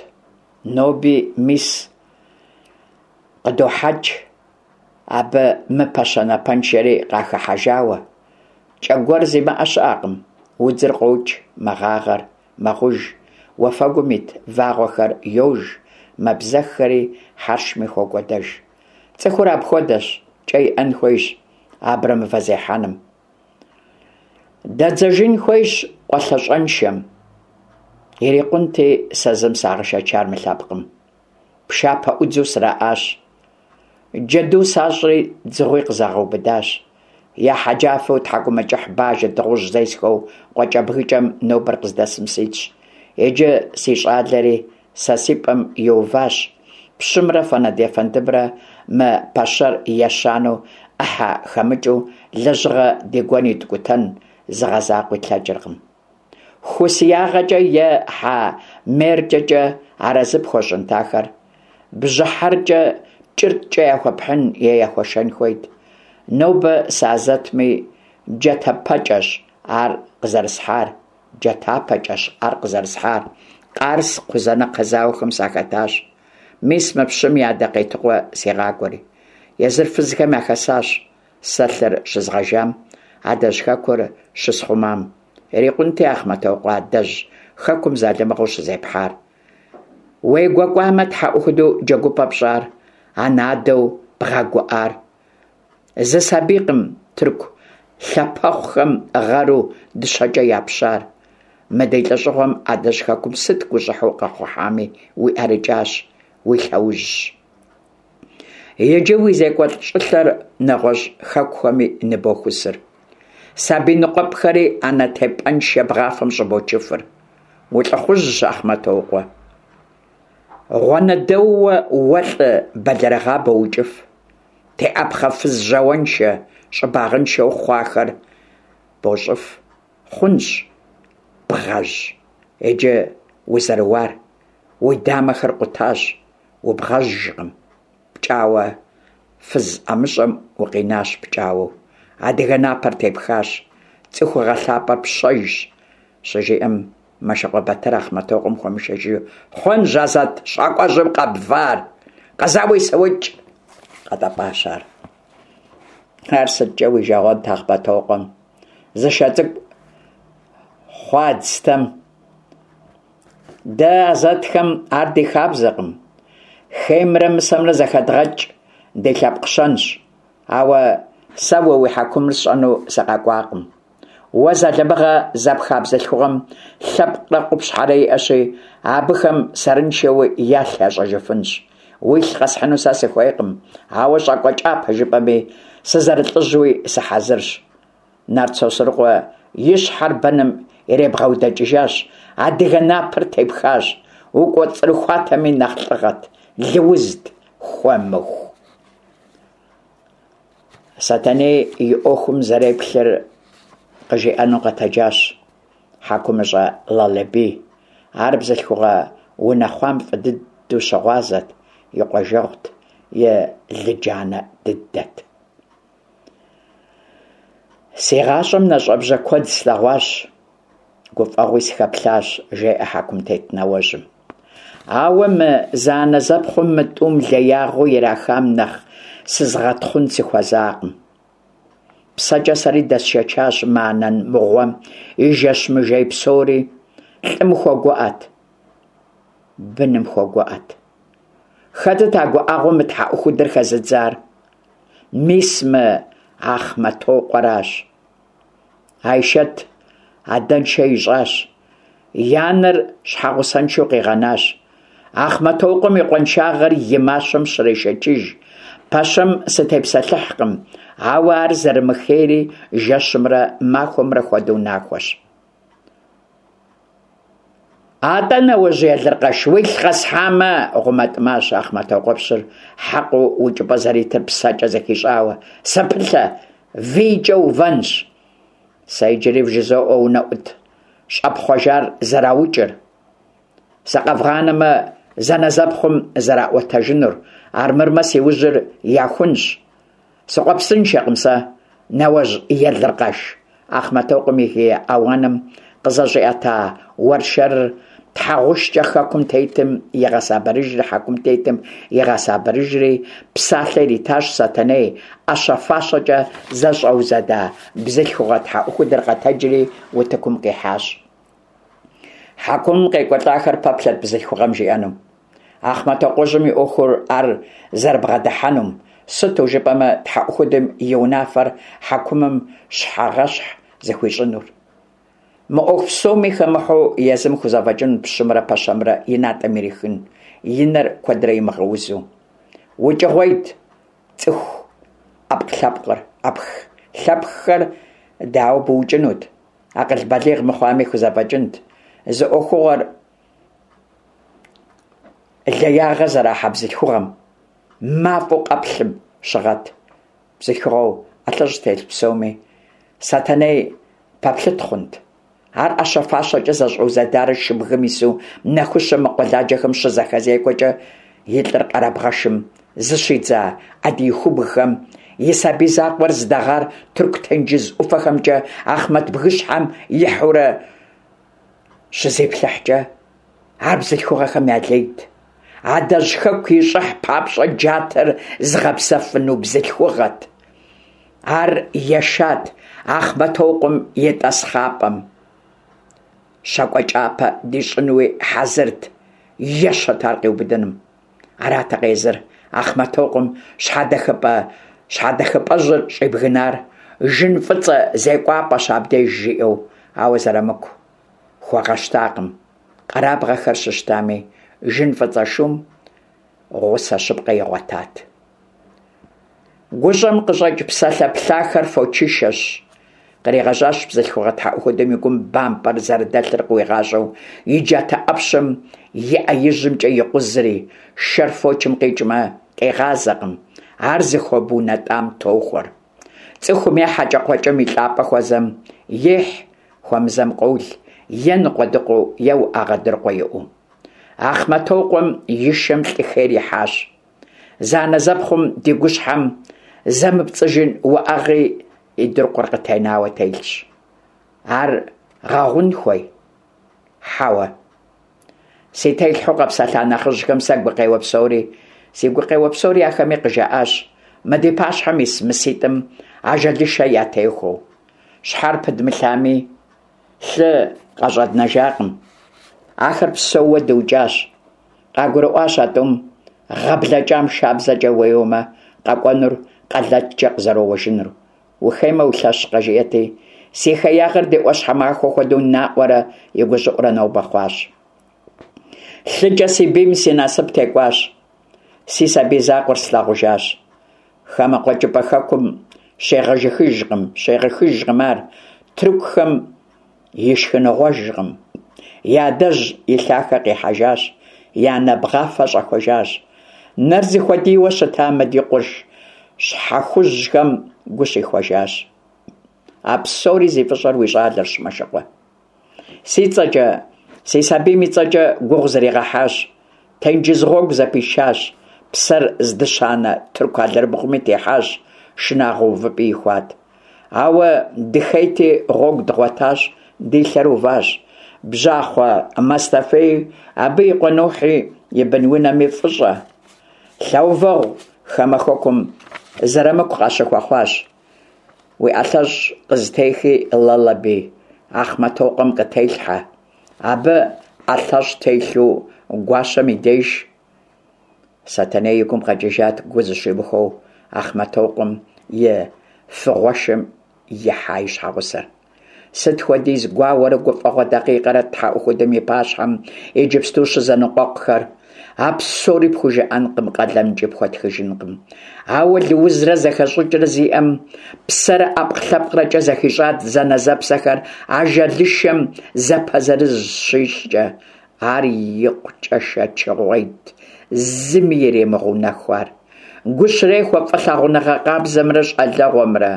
Ноби, мис, къыдохьэкӏ абы мы пэщэ напэншэри къахыхьэжауэ. Кӏэ гуэр зимыӏэ щыӏэкъым. Удзыр къокӏ, мэгъагъэр, мэгъуж, уафэгум ит вагъуэхэр йож, мэбзэххэри хьэршми хокӏуэдэж. Цӏыхур апхуэдэщ, кӏэ иӏэн хуейщ абрэмывэ зехьэным. Дэдзэжын хуейщ къуэлъэщӏэншэм. Ирикъунти сэ зым сагъэшэчар мы лъэпкъым. Пшапэӏудзу сраӏащ. Джэду сащӏри дзыгъуи къызагъэубыдащ. Я хьэджафэу тхьэкӏумэкӏыхь, бажэ, дыгъужь зесхэу къуакӏэбгыкӏэм нобэр къыздэсым ситщ. Иджы си щӏалэри сэ си пӏэм иуващ. Пщымрэ Фэнэд ефэндымрэ мы пэщэр ещанэу ӏыхьэ хэмыкӏыу лэжьыгъэ ди гуэн иткӏутэн зыгъэзакъуи тлъэкӏыркъым. Ху си ягъэкӏэ е хьэ меркӏэкӏэ арэзы пхуэщӏынт ахэр. Бжьыхьэркӏэ кӏырткӏэ яхуэпхьын е яхуэшэн хуейт. Нобэ сыазэтми, джатэпэкӏэщ ар къызэрысхьар, джатапэкӏэщ ар къызэрысхьар. Къарс, Кхъузанэкхъэ зауэхэм сахэтащ. Мис мы пщым и адэ Къетыкъуэ сигъакӏуэри. Езыр фызхэм яхэсащ сэ лъыр щызгъэжам, адэжь хэкур щысхъумам. Ирикъунти, Ахъмэтокъуэ, адэжь хэкум залымыгъэу щызепхьар. Уегуэкӏуамэ, тхьэӏухуду джэгупӏэ пщӏар, анэ-адэу бгъэгуӏар. Зы сабийкъым тырку лъапэхъухэм гъэру дыщэкӏэ япщар. Мы ди лӏэщӏыгъуэм адэжь хэкум сыт гущӏыхьэу къэхъухьами уи ӏэрыкӏащ, уи лъэужьщ. Иджы уи зекӏуэлӏ щӏылъэр нэгъуэщӏ хэкухэми ныбохусыр. Сабий ныкъуэпӏхэри анэ тепӏэншэ бгъафэм щӏыбочыфыр. Улӏыхъужьщ, Ахъмэтокъуэ. Гъуанэдэууэ уэ лӏы бэлэрыгъа боукӏыф. Теӏэпхъэ фыз жьауэншэ, щӏыбагъыншэу хъуахэр бощӏыф. Хъунщ, бгъэжь, иджы узэрыуар. Уи дамэхэр къутащ, убгъэжькъым. Пкӏауэ фыз ӏэмыщӏэм укъинащ пкӏауэу. Адыгэ напэр тепхащ, цӏыхугъэ лъапӏэр пщэжщ, щыжиӏэм Мэшыкъуэ Батыр Ахъмэтокъуэм хуэмышэчыжу, хъунщ, Азэт щакӏуэжьым къэбвар, къэзауи сыукӏ, къэтӏэпӏащ ар. Ар сыткӏэ уи жагъуэнт Ахъмэтокъуэм, зы шэ цӏыкӏу хъуадзтэм. Дэ азэтхэм ар ди хабзэкъым. Хеймрэ мысэмрэ зэхэдгъэкӏ ди лъэпкъ щэнщ. Ауэ сэ уэ уи хьэкумыр сщӏэну сыкъэкӏуакъым. Уэ залымыгъэ зэпха бзылъхугъэм лъэпкърэ къупщхьэрэ иӏэщи, абыхэм сэрыншэуи ялъ ящӏэжыфынщ. Уилъ къэсхьыну сэ сыхуейкъым, ауэ щӏакӏуэ кӏапэ жыпӏэми, сызэрылӏыжьуи сыхьэзырщ. Нарт Сосрыкъуэ и щхьэр бэным иребгъэудэкӏыжащ, адыгэ напэр тепхащ, укӏуэцӏрыхуатэми нэхъ лӏыгъэт, лыузт, хуэмыху. Сэтэней и ӏуэхум зэреплъыр къыжиӏэну къэтэджащ хьэкумыщӏэ Лалэбий. Ар бзылъхугъэ унэхъуам фӏы дыдэу щыгъуазэт, и къуажэгъут, и лыджанэ дыдэт. Си гъащӏэм нэщӏэбжьэ куэд слъэгъуащ, гуфӏэгъуи сыхэплъащ, жеӏэ хьэкумтет нэуэжьым. Ауэ мы зэанэзэпхъум мы тӏум леягъэу ирахам нэхъ сызыгъэтхъун сыхуэзакъым. Псэкӏэ сэри дэсшэчащ мы анэ мыгъуэм и жэщ мыжей псори. Лӏым хуэгуӏэт, быным хуэгуӏэт. Хэтыт а гуӏэгъуэм мы тхьэӏухудыр хэзыдзар? мис мы Ахъмэтокъуэращ. Айшэт адэншэ ищӏащ, и анэр щхьэгъусэншэу къигъэнащ. Ахъмэтокъуэм и къуаншагъэр и мащэм щрешэчыж. Пэщэм сытепсэлъыхькъым, ауэ ар зэрымыхейри жэщымрэ махуэмрэ хуэдэу нахуэщ. Атӏэ, нэужь Елыркъэш, уилъ къэсхьамэ, гъумэтӏымащ Ахъмэтокъуэпщыр, хьэкъыу укӏыпӏэ зэритыр псэкӏэ зэхищӏауэ. Сэпылъэ, вийкӏэ увэнщ. Сэ иджыри вжызоӏэ унэӏут щӏэпхъуэжар зэраукӏыр. Сыкъэвгъанэмэ, зэнэзэпхъум зэраӏуэтэжынур, армырмэ си ужьыр яхунщ. Сыкъуэпсыншэкъым сэ, нэуэжь Елыркъэш. Ахъмэтокъуэм и гие ауаным къызэщӏиӏэта уэршэрыр тхьэгъушкӏэ хэкум тетым игъэсабырыжри, хьэкум тетым игъэсабырыжри, псалъэ иритащ Сэтэней. ӏэщэ-фащэкӏэ зэщӏэузэда бзылъхугъэ тхьэӏухудыр къэтэджри утыкум къихьащ. Хьэкумым къекӏуэлӏахэр пэплъэрт бзылъхугъэм жиӏэнум. Ахъмэтокъуэжьым и ӏуэхур ар зэрыбгъэдыхьэнум, сыту жыпӏэмэ тхьэӏухудым и унафэр хьэкумым щхьэгъэщхь зыхуищӏынур. Мы ӏуэху псоми хэмыхьэу езым хузэфӏэкӏынут пщымрэ пэщэмрэ и натӏэм ирихын, и нэр куэдрэ имыгъэузу. Укӏыгъуейт цӏыху ӏэпкълъэпкъыр, ӏэпхлъэпххэр дауэ быукӏынут? Акъыл балигъ мыхъуами хузэфӏэкӏынт. Зы ӏуэхугъуэр леягъэ зэрахьэ бзылъхугъэм, мафӏэу къэплъым щыгъэт. Бзылъхугъэу ӏэлъэщӏ телъ псоми Сэтэней пэплъыт хъунт. Ар ӏэщэ-фащэкӏэ зэщӏэузэдарэ шыбгым ису нэхущым мы къуэладжэхэм щызэхэзекӏуэкӏэ и лӏыр къэрабгъэшым зыщидза Адиихубгхэм и сабий закъуэр зыдэгъар Тырку тенджыз ӏуфэхэмкӏэ Ахъмэт бгыщхьэм ихьурэ щызеплъыхькӏэ, ар бзылъхугъэхэм я лейт. Адэжь хэку и щӏыхь папщӏэ джатэр зыгъэпсэфыну бзылъхугъэт. Ар ешат Ахъмэтокъуэм и тӏасхъапӏэм. Щакӏуэ кӏапэ дищӏынуи хьэзырт, ещэт ар къиубыдыным. Аратэкъэ езыр Ахъмэтокъуэм щхьэдэхыпӏэ щхьэдэхыпӏэжьыр щӏибгынар, жын фӏыцӏэ зекӏуапӏэщ абдеж жиӏэу, ауэ Зэрамыку хуэгъэщтакъым. Къэрабгъэхэр щыщтами, жын фӏыцӏэ шум гъусэ щыпкъэ игъуэтат. Гущӏэм къыщӏэкӏ псалъэ плъахэр фочышэщ. Къригъэжьащ бзылъхугъэ тхьэӏухудым и гум бампӏэр зэрыдэлъыр къыуигъащӏэу, и джатэ ӏэпщэм и ӏэ ижьымкӏэ икъузри, шэр фочым къикӏмэ, къигъазэкъым, ар зыхуэбунэтӏам тохуэр. Цӏыхум е хьэкӏэкхъуэкӏэм и лӏапӏэ хуэзэм, ехь, хуэмызэм къол, е ныкъуэдыкъуэу, е уӏэгъэ дыркъуэ иӏэу. Ахъмэтокъуэм и шэм лӏы хейр ихьащ. Зэанэзэпхъум ди гущхьэм зэмыпцӏыжын уӏэгъи и дыркъуэр къытенауэ телъщ. Ар гъэгъун хуей? Хьэуэ. Си телъхьэу къэпсэлъа нэхъыжьхэм сэ гукъеуэ псори, си гукъеуэ псори ахэми къыжаӏащ, мы ди пащхьэм ис мыситӏым ажалышэ ятехуэу. Щхьэр пыдмылъами, лъы къащӏэднэжакъым. Ахэр псэууэ дыукӏащ. Къагурыӏуащ а тӏум гъэ блэкӏам шабзэкӏэ уеуэмэ, къэкӏуэнур къэлэткӏэ къызэроуэжынур. Ухеймэ улъэщкъэ, жиӏэти, си хеягъэр ди ӏуащхьэмахуэ хуэдэу наӏуэрэ и гущӏыӏурэ нобэ хъуащ. Лъыкӏэ си бийм си насып текӏуащ. Си сабий закъуэр слъагъужащ. Хамэ къуэкӏыпӏэ хэкум щегъэжыхыжкъым, щегъэхыжкъым ар, тыркухэм и шхыныгъуэжкъым. И адэжь и лъахэ къихьэжащ, и анэ бгъафэ щӏэхуэжащ. Нэр зыхуэдийуэ щыта мы ди къурш щхьэхужьхэм гу щихуэжащ. А псори зи фӏыщӏэр уи щӏалэрщ, Мэшыкъуэ. Си цӏэкӏэ, си сабийм и цӏэкӏэ гугъу зригъэхьащ, тенджыз гъуэгу зэпишащ, псэр здыщанэ тырку алэрыбгъуми техьащ, шынагъуэ увыпӏи ихуат. Ауэ дыхейти гъуэгу дгъуэтащ, ди лъэр уващ. Бжьахъуэ Мэстэфеи, абы и къуэ Нухьи, и бынунэми фӏыщӏэ. Лъэувэгъу хамэ хэкум Зэрамыку къащыхуэхъуащ. Уи ӏэлъэщӏ къызытехи, Лалэби, Ахъмэтокъуэм къытелъхьэ. Абы ӏэлъэщӏ телъу гуащэм и деж. Сэтэней и гум къэкӏыжат гу зыщимыхуэу Ахъмэтокъуэм и фыгъуэшэм ихьа и щхьэгъусэр. Сыт хуэдиз гуауэрэ гуфӀэгъуэ дакъикъэрэ тхьэӀухудым и пащхьэм иджыпсту щызэныкъуэкъухэр? А псори пхужыӀэнкъым, къалэмкӀи пхуэтхыжынкъым. Ауэ лыузрэ зэхэщӀыкӀрэ зиӀэм псэрэ ӀэпкълъэпкърэкӀэ зэхищӀат зэнэзэпсэхэр ажалышэм зэпэзырыз щищӀкӀэ. Ар икъукӀэ шэчыгъуейт, зыми иремыгъэунэху ар. Гу щрехуэ фӀылъагъуныгъэ къабзэмрэ щӀалэгъуэмрэ,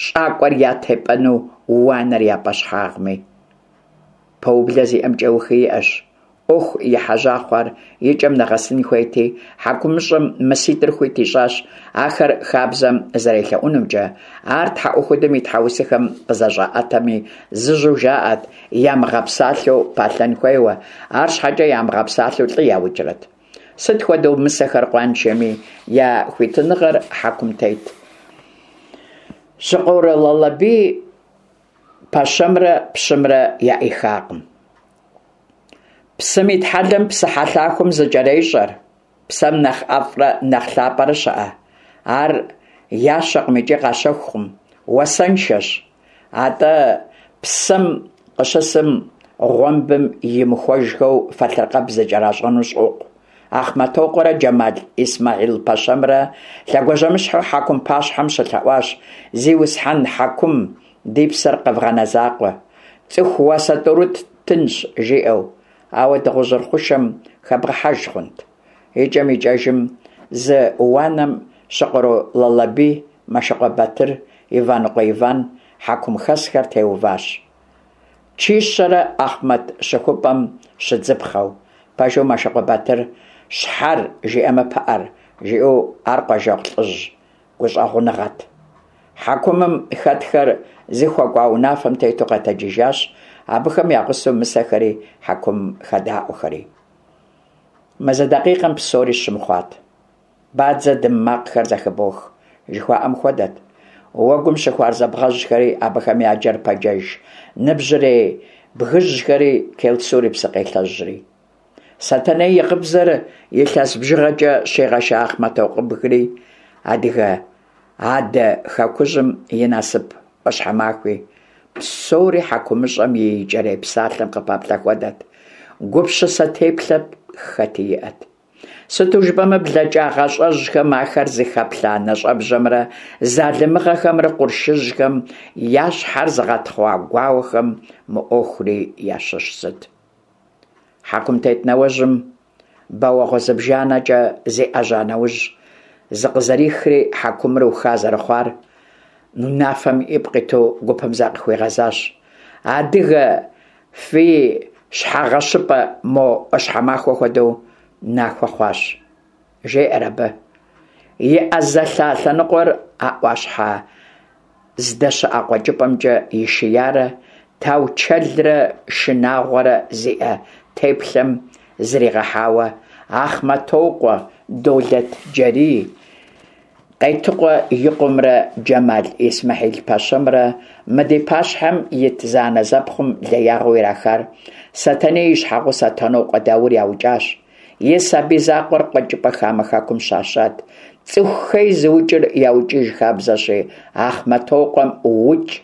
щӀакӀуэр я тепӀэну уанэр я пӀэщхьагъми. Пэублэ зиӀэм кӀэухи иӀэщ. Ӏуэху ехьэжьа хъуар и кӀэм нэгъэсын хуейти, хьэкумыщӀэм мыситӀыр хуит ищӀащ ахэр хабзэм зэрелъэӀунумкӀэ. Ар тхьэӀухудым и тхьэусыхэм къызэщӀаӀэтэми, зыжьэу жаӀэрт ямыгъэпсалъэу палъэн хуейуэ, арщхьэкӀэ ямыгъэпсалъэу лӀы яукӀрэт? Сыт хуэдэу мысэхэр къуаншэми, я хуитыныгъэр хьэкум тет. Щыкъуорэ Лалэбий пэщэмрэ пщымрэ яӀихакъым. Псым итхьэлэм псыхьэлъахуэм зыкӀэрещӀэр. Псэм нэхъ ӀэфӀрэ нэхъ лъапӀэрэ щыӀэ? Ар ящэкъым икӀи къащэхукъым, уасэншэщ. АтӀэ псэм къыщысым гъуэмбым имыхуэжхэу фэлъыркъэб зыкӀэращӀэну щӀокъу. Ахъмэтокъуэрэ Джэмал Исмэхьил-пэщэмрэ лъэгуажьэмыщхьэу хьэкум пащхьэм щылъэӀуащ: «Зиусхьэн хьэкум, ди псэр къэвгъанэ закъуэ! ЦӀыху уасэ тӀурытӀ ттынщ», – жиӀэу. Ауэ дыгъужьыр хъушэм хэбгъэхьэж хъунт? ИкӀэм-икӀэжым зы уанэм Щыкъуро Лалэбий, Мэшыкъуэ Батыр, Иваныкъуэ Иван хьэкумхэсхэр теуващ. Чищэрэ Ахъмэт щыхупӀэм щыдзыпхъэу. Пэжу Мэшыкъуэ Батыр «щхьэр жиӀэмэ пыӀэр» жиӀэу ар къуажэгъу лӀыжь гущӀэгъуныгъэт. Хьэкумым хэтхэр зыхуэкӀуа унафэм тету къэтэджыжащ, абыхэм я гъусэу мысэхэри хьэкумым хэдаӀуэхэри. Мы зы дакъикъэм псори щым хъуат. Бадзэ дым макъхэр зэхыбох, жыхуаӀэм хуэдэт. Уэгум щыхуарзэ бгъэжьхэри, абыхэм я джэрпэджэж ныбжьырей бгыжьхэри, Келсур и псыкъелъэжьри. Сэтэней и гъыбзэр илъэс бжыгъэкӀэ щигъэша Ахъмэтокъуэбгри, адыгэ адэ хэкужьым и насып Ӏуащхьэмахуи. Псори хьэкумыщӀэм и икӀэрей псалъэм къыпэплъэ хуэдэт. Гупсысэ теплъэ хэти иӀэт. Сыту жыпӀэмэ, блэкӀа гъащӀэжьхэм ахэр зыхэплъа нэщӀэбжьэмрэ залымыгъэхэмрэ къуршыжьхэм я щхьэр зыгъэтхъуа гуауэхэм мы Ӏуэхури ящыщ зыт. Хьэкумтет нэужьым бэуэгъуэ зыбжанэкӀэ зиӀэжьа нэужь, зыкъызэрихри хьэкумыр уха зэрыхъуар унафэм ипкъ иту гупым закъыхуигъэзащ. Адыгэ фи щхьэгъэщыпӀэ мо Ӏуащхьэмахуэ хуэдэу нахуэ хъуащ, жеӀэр абы. И Ӏэ зэлъа лъэныкъуэр а Ӏуащхьэ здэщыӀэ къуэкӀыпӀэмкӀэ ишиярэ таучэлрэ шынагъуэрэ зиӀэ теплъэм зригъэхьауэ Ахъмэтокъуэ Долэтджэрий Къетыкъуэ и къуэмрэ Джэмал Исмэхьил-пэщэмрэ мы ди пащхьэм ит зэанэзэпхъум леягъэу ирахар Сэтэней и щхьэгъусэ Тэнокъуэ Даур яукӀащ. И сабий закъуэр къуэкӀыпӀэ хамэ хэкум щащат. ЦӀыху хей зыукӀыр яукӀыж хабзэщи, Ахъмэтокъуэм укӀ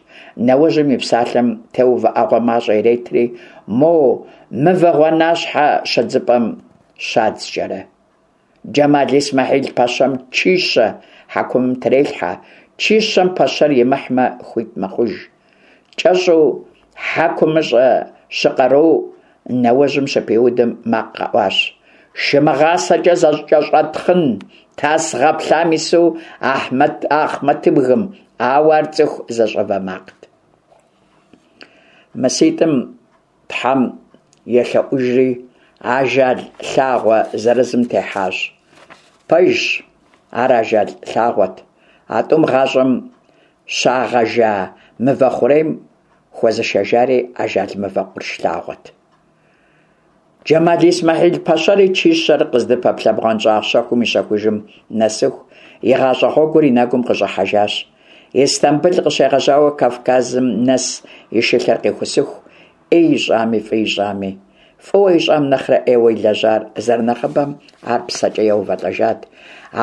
нэужьым и псалъэм теувыӀэгъуэ мащӀэ иретри, мо мывэ гъуанащхьэ щыдзыпӀэм щадзкӀэрэ. Джэмал Исмэхьил-пэщэм чищэ хьэкумым трелъхьэ, чищэм пэщэр имыхьмэ, хуит мэхъуж. КӀэщӀу хьэкумыщӀэ Щыкъэру нэужьым щыпиудым макъ къэӀуащ: «ШымыгъасэкӀэ зэкӀэщӀэтхъын, тас гъэплъам ису Ахъмэтыбгым», ауэ ар цӀыху зэщӀэвэ макът. МыситӀым Тхьэм елъэӀужри, ажал лъагъуэ зырызым техьащ. Пэжщ, ар ажал лъагъуэт. А тӀум гъащӀэм щагъэжа мывэ хъурейм хуэзышэжари ажал мывэ къурш лъагъуэт. Джэмал Исмэхьил-пэщэри чищэр къыздыпэплъэ бгъуэнщӀагъ щэхум и щэхужым нэсыху, и гъащӀэ гъуэгур и нэгум къыщӀыхьэжащ. Истамбыл къыщегъэжьауэ Кавказым нэс и шылъэр къихусыху, Ӏей ищӀами, фӀы ищӀами. Фӏыуэ ищӏам нэхърэ ӏейуэ илэжьар зэрынэхъыбэм ар псэкӏэ еувэлӏэжат.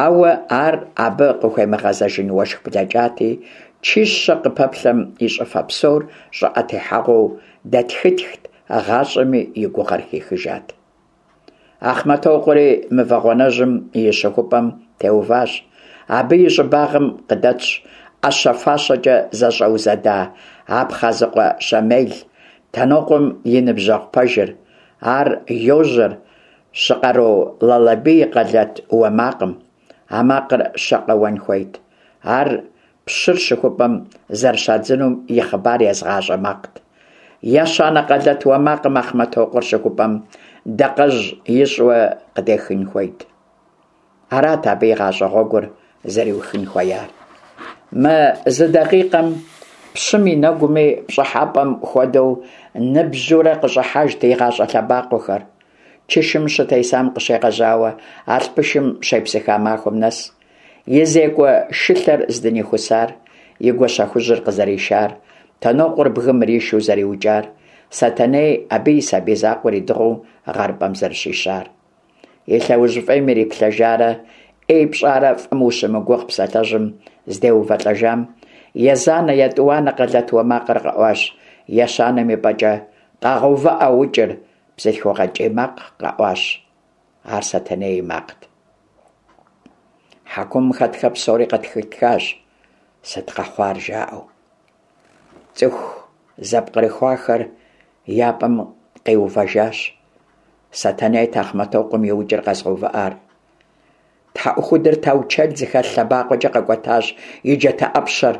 Ауэ ар абы къыхуемыгъэзэжын уэшх блэкӏати, чищэ къыпэплъэм и щӏыфэ псор щӏыӏэ техьэгъуэу дэтхытхт, гъащӏэми и гугъэр хихыжат. Ахъмэтокъуэри мывэ гъуанэжьым и щыхупӏэм теуващ. Абы и щӏыбагъым къыдэтщ ӏэщэ-фащэкӏэ зэщӏэузэда Абхъазыкъуэ Щэмел, Тэнокъуэм и ныбжьэгъу пэжыр. Ар йожьэр Щыкъэру Лалэбий и къэлэт уэ макъым. А макъыр щэ къэуэн хуейт. Ар пщыр щыхупӏэм зэрыщадзынум и хъыбар езыгъащӏэ макът. Ещанэ къэлэт уэ макъым Ахъмэтокъуэр щыхупӏэм дакъэжь ищӏурэ къыдехын хуейт. Арат абы и гъащӏэ гъуэгур зэриухын хуеяр. Мы зы дакъикъэм пщым и нэгуми пщӏыхьэпӏэм хуэдэу ныбжьурэ къыщӏыхьэжт и гъащӏэ лъэбакъуэхэр. Чышым щытесам къыщегъэжьауэ алъпышым щепсыха махуэм нэс, и зекӏуэ шылъэр здынихусар, и гуащэхужьыр къызэришар, Тэнокъуэр бгым иришу зэриукӏар, Сэтэней абы и сабий закъуэр идыгъуу гъэрыпӏэм зэрыщищар. И лъэужь фӏейм ириплъэжарэ ӏей пщӏарэ фӏым ущымыгугъ псалъэжьым здеувэлӏэжам, езанэ, етӏуанэ къэлэт уэ макъыр къэӏуащ, ещанэм и пӏэкӏэ «Къэгъэувыӏэ укӏыр!» бзылъхугъэ кӏий макъ къэӏуащ. Ар Сэтэней и макът. Хьэкумым хэтхэр псори къэтхытхащ, сыт къэхъуар жаӏэу. Цӏыху зэпкърыхуахэр я пӏэм къиувэжащ. Сэтэнейт Ахъмэтокъуэм и укӏыр къэзгъэувыӏар. Тхьэӏухудыр таучэл зыхэлъ лъэбакъуэкӏэ къэкӏуэтащ и джатэ ӏэпщэр,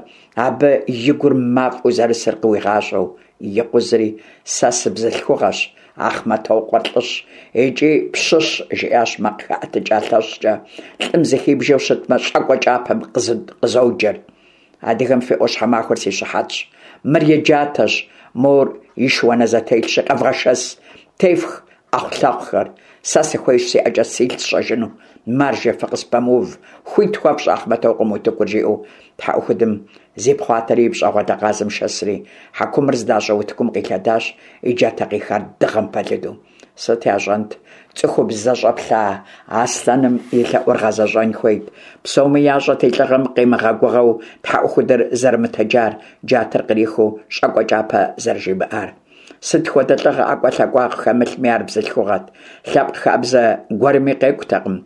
абы и гур мафӏэу зэрысыр къыуигъащӏэу. Икъузри «Сэ сыбзылъхугъэщ, Ахъмэтокъуэр лӏыщ икӏи пщыщ», жиӏащ макъ хэӏэтыкӏа лъэщкӏэ, лӏым зыхибжэу щытмэ, щӏакӏуэ кӏапэм къызоджэр. Адыгэм фи ӏуащхьэмахуэр си щыхьэтщ. Мыр и джатэщ, мор и шыуанэзэтелъщи, къэвгъэшэс, тефх ӏэхъулъэхъухэр. Сэ сыхуейщ си ӏэкӏэ силъ сщӏэжыну. Маржэ, фыкъыспэмыув, хуит хуэфщӏ Ахъмэтокъуэм утыкур, жиӏэу тхьэӏухудым зипхъуатэри и пщӏэгъуэлэ къазым шэсри, хьэкумыр здащӏэ утыкум къилъэдащ, и джатэ къихар дыгъэм пэлыду. Сыт ящӏэнт? Цӏыхубз зэщӏэплъа аслъэным и лъэӏур гъэзэщӏэн хуейт. Псоми ящӏэт и лӏыгъэм къимыгъэгугъэу тхьэӏухудыр зэрымытэджар, джатэр кърихыу щӏакӏуэ кӏапэ зэрыжимыӏар. Сыт хуэдэ лӏыгъэ ӏэкӏуэлъакӏуагъ хэмылъми, ар бзылъхугъэт. Лъэпкъ хабзэ гуэрми къекӏутэкъым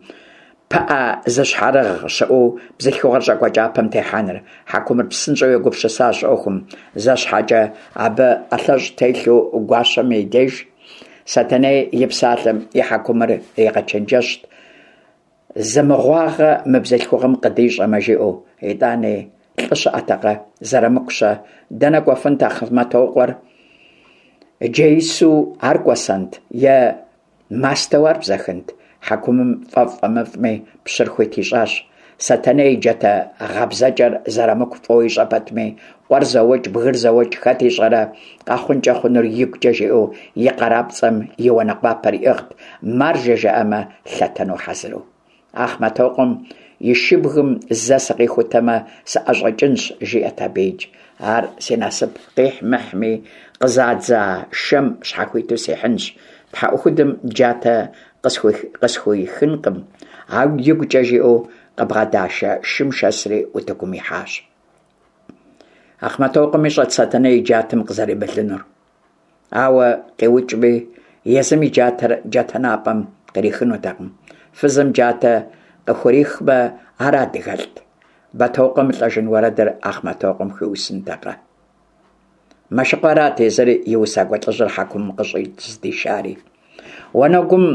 пыӏэ зыщхьэрыгъ щыӏэу бзылъхугъэр щӏакӏуэ кӏапэм техьэныр. Хьэкумыр псынщӏэу егупсысащ ӏуэхум. Зэ щхьэкӏэ абы ӏэлъэщӏ телъу гуащэм и деж Сэтэней и псалъэм и хьэкумыр иригъэчэнджэщт. Зы мыгъуагъэ мы бзылъхугъэм къыдищӏэмэ, жиӏэу. Итӏани лӏы щыӏэтэкъэ, Зэрамыку-щэ? Дэнэ кӏуэфынт Ахъмэтокъуэр? Джеису ар кӏуэсэнт е мастэу ар бзэхынт? Хьэкумым фӏэфӏ-фӏэмыфӏми пщыр хуит ищӏащ. Сэтэней и джатэ гъэбзэкӏэр Зэрамыку фӏыуэ ищӏэ пэтми, къуэр зэуэкӏ, бгыр зэуэкӏ, хэт ищӏэрэ къэхъункӏэ хъунур игукӏэ жиӏэу и къарапцӏэм и уанэкъуапэр иӏыгът, маржэ жаӏэмэ, лъэтэну хьэзыру. Ахъмэтокъуэм и шыбгым зэ сыкъихутэмэ, сыӏэщӏэкӏынщ, жиӏэт абыикӏ. Ар си насып къихь-мыхьми, къызадза шэм щхьэхуиту сихьынщ. Тхьэӏухудым джатэ къысхуихынкъым, ауэ игукӏэ жиӏэу къыбгъэдашэ шым шэсри утыкум ихьащ. Ахъмэтокъуэм ищӏэт Сэтэней и джатэм къызэремылынур. Ауэ къиукӏми, езым и джатэр джатэнапӏэм кърихынутэкъым. Фызым джатэ къыхурихмэ, ар адыгэлӏт. Бэтокъуэ мылӏэжын уэрэдыр Ахъмэтокъуэм хуиусынтэкъэ? Мэшыкъуэ арат езыр и усакӏуэ лӏыжьыр хьэкумым къыщӏыздишари. Уанэгум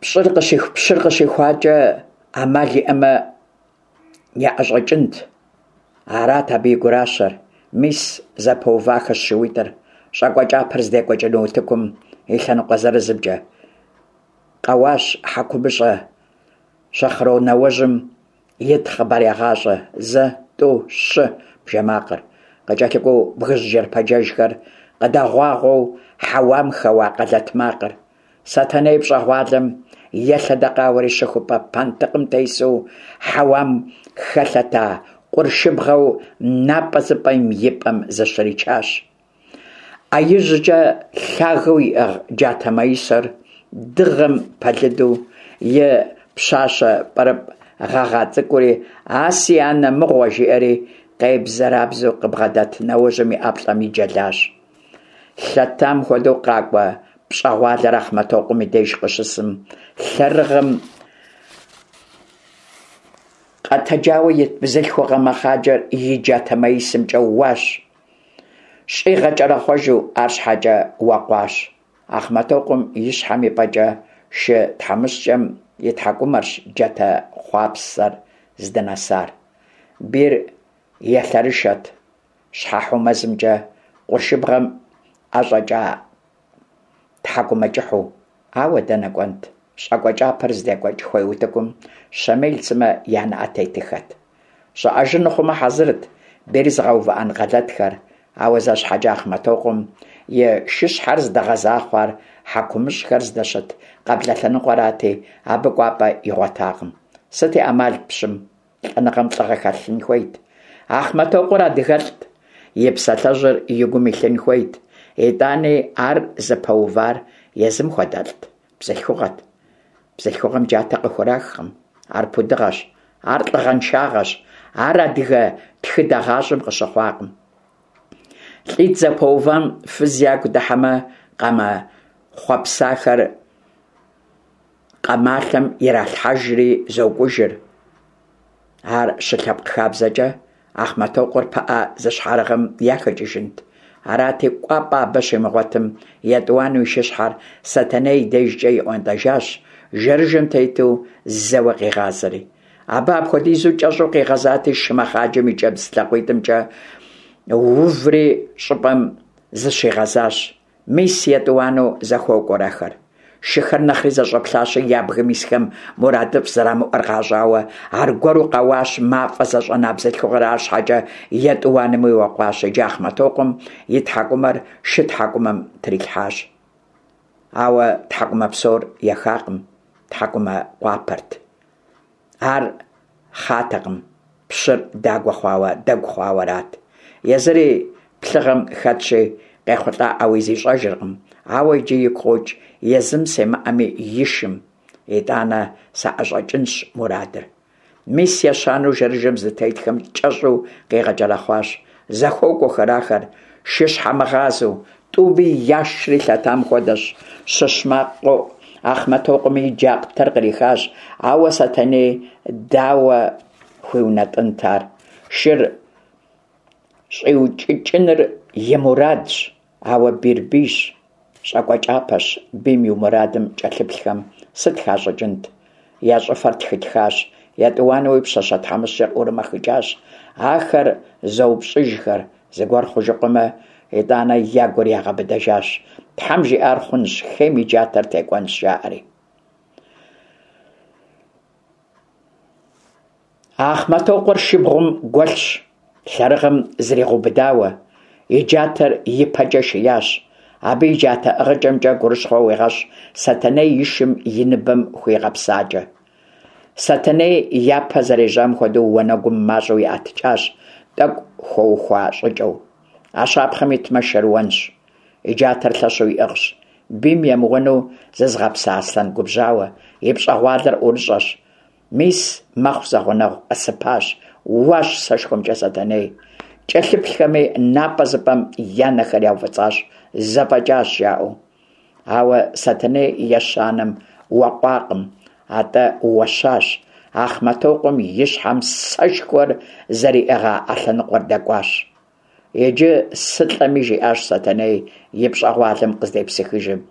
пщыр къыщихуакӏэ ӏэмал иӏэмэ, яӏэщӏэкӏынт. Арат абы и гуращэр. Мис зэпэувахэщ шууитӏыр, щӏакӏуэ кӏапэр здекӏуэкӏыну утыкум и лъэныкъуэ зырызымкӏэ. Къэуащ хьэкумыщӏэ щэхъронауэжьым ит хъыбарегъащӏэ. Зэ, тӏу, щы бжэ макъыр. Къыкӏэлъыкӏуэу бгыжь джэрпэджэжхэр къыдэгъуагъуэу хьэуам хэуа къэлэт макъыр. Сэтэней пщӏэгъуалэм елъэдэкъауэри щыхупӏэ пэнтыкъым тесу хьэуам хэлъэта къуршыбгъэу напӏэзыпӏэм и пӏэм зыщричащ. Ӏэ ижькӀэ лъагэу иӀыгъ джатэ маисэр дыгъэм пэлыду, и пщащэ пӀырыпӀ гъэгъа цӀыкӀури «А си анэ мыгъуэ!» жиӀэри къебзэрабзэу къыбгъэдэт нэуэжьым и ӀэплӀэм иджэлащ. Лъэтам хуэдэу къакӀуэ пщӀэгъуалэр Ахъмэтокъуэм и деж къыщысым, лъэрыгъым къэтэджауэ ит бзылъхугъэ мэхъаджэр и джатэ маисэмкӀэ уащ, щӀигъэкӀэрэхъуэжу, арщхьэкӀэ уэкъуащ. Ахъмэтокъуэм и щхьэм и пӀэкӀэ шы тхьэмыщкӀэм и тхьэкӀумэрщ джатэ хъуапсэр здынэсар. Бийр елъэрышэт, щхьэхьу мэзымкӀэ къуршыбгъэм ӀэщӀэкӀа тхьэкӀумэкӀыхьу. Ауэ дэнэ кӀуэнт? ЩӀакӀуэ кӀапэр здекӀуэкӀ хуей утыкум Щэмел сымэ я нэӀэ тетыхэт. ЩӀэӀэжыну хъумэ хьэзырт бийр зыгъэувыӀэн къэлэтхэр, ауэ зэ щхьэкӀэ Ахъмэтокъуэм и шыщхьэр здэгъэза хъуар хьэкумыщӀхэр здэщыт къэблэ лъэныкъуэрати, абы кӀуапӀэ игъуэтакъым. Сыт и Ӏэмалт пщым? ЛӀэныгъэм лӀыгъэ хэлъын хуейт. Ахъмэтокъуэр адыгэлӀт, и псалъэжьыр и гум илъын хуейт. ИтӀани ар зыпэувар езым хуэдэлӀт, бзылъхугъэт. Бзылъхугъэм джатэ къыхурахкъым. Ар пудыгъэщ, ар лӀыгъэншагъэщ, ар адыгэ тхыдэ гъащӀэм къыщыхъуакъым. ЛӀитӀ зэпэувам фыз ягу дыхьэмэ, къамэ хъуэпсахэр къамалъэм иралъхьэжри зокӀужыр. Ар щылъэпкъ хабзэкӀэ Ахъмэтокъуэр пыӀэ зыщхьэрыгъым яхэкӀыжынт. Арати, кӀуапӀэ абы щимыгъуэтым, етӀуанэу и шыщхьэр Сэтэней и дежкӀэ иӀуэнтӀэжащ, жэрыжэм тету зэуэ къигъазэри. Абы апхуэдизу кӀэщӀу къигъэзати, шы мэхъаджэм и кӀэбдз лъакъуитӀымкӀэ уври щӀыпӀэм зыщигъэзащ. Мис етӀуанэу зэхуокӀуэр ахэр. Шыхэр нэхъри зэщӀэплъащи, я бгым исхэм мурадыфӀ зэрамыӀуэр къащӀауэ, аргуэру къэуащ мафӀэ зэщӀэна бзылъхугъэр, арщхьэкӀэ етӀуанэми уэкъуащ. Иджы Ахъмэтокъуэм и тхьэкӀумэр шы тхьэкӀумэм трилъхьащ. Ауэ тхьэкӀумэ псор ехакъым, тхьэкӀумэ къуапэрт. Ар хъатэкъым, пщыр дагуэ хъуауэ, дэгу хъуауэ арат. Езыри плъыгъэм хэтщи, къехъулӀаӀауи зищӀэжыркъым. Ауэ иджы игу къокӀ езым семыӀэми и шым, итӀанэ саӀэщӀэкӀынщ мурадыр. Мис ещанэу жэрыжэм зытетхэм кӀэщӀу къигъэкӀэрэхъуащ. ЗэхуокӀуэхэр ахэр, шыщхьэмыгъазэу, тӀуми яшри лъэтам хуэдэщ. Щыщ макъ къоӀу, Ахъмэтокъуэми и джатэр кърихащ, ауэ Сэтэней дауэ хуиунэтӀынт ар? Шыр щӀиукӀыкӀыныр и мурадщ, ауэ бийр бийщ, щӀакӀуэ кӀапэщ, бийм и мурадым кӀэлъыплъхэм сыт хащӀыкӀынт? Я щӀыфэр тхытхащ, етӀуанэуи пщащэ тхьэмыщкӀэр ӀурымэхыкӀащ. Ахэр зэупщӀыжхэр, зыгуэр хъужыкъуэмэ, итӀанэ я гур ягъэбыдэжащ. Тхьэм жиӀар хъунщ, хейм и джатэр текӀуэнщ, жаӀэри. Ахъмэтокъуэр шыбгъум гуэлъщ, лъэрыгъым зригъэубыдауэ, и джатэр и пэкӀэ шиящ. Абы и джатэ ӀыгъыкӀэмкӀэ гурыщхъуэ уегъэщӀ Сэтэней и шым и ныбэм хуигъэпсакӀэ. Сэтэней япэ зэрежьам хуэдэу уанэгум мащӀэу иӀэтыкӀащ, тӀэкӀу хуэухуа щӀыкӀэу. А щапхъэм итмэ, шэрыуэнщ. И джатэр лъэщу иӀыгъщ. Бийм емыуэну зызыгъэпса аслъэн губжьауэ, и пщӀэгъуалэр ӀурыщӀэщ. Мис мэхъу зэгъунэгъу, къэсыпащ, уащ сэшхуэмкӀэ Сэтэней. КӀэлъыплъхэми напӀэ зыпӀэм я нэхэр яуфӀыцӀащ, зэфӀэкӀащ, жаӀэу. Ауэ Сэтэней ещанэм уэкъуакъым, атӀэ уэщащ. Ахъмэтокъуэм и щхьэм сэшхуэр зэриӀыгъа Ӏэ лъэныкъуэр дэкӀуащ. Иджы сылӀэми, жиӀащ Сэтэней и пщӀэгъуалэм къыздепсыхыжым.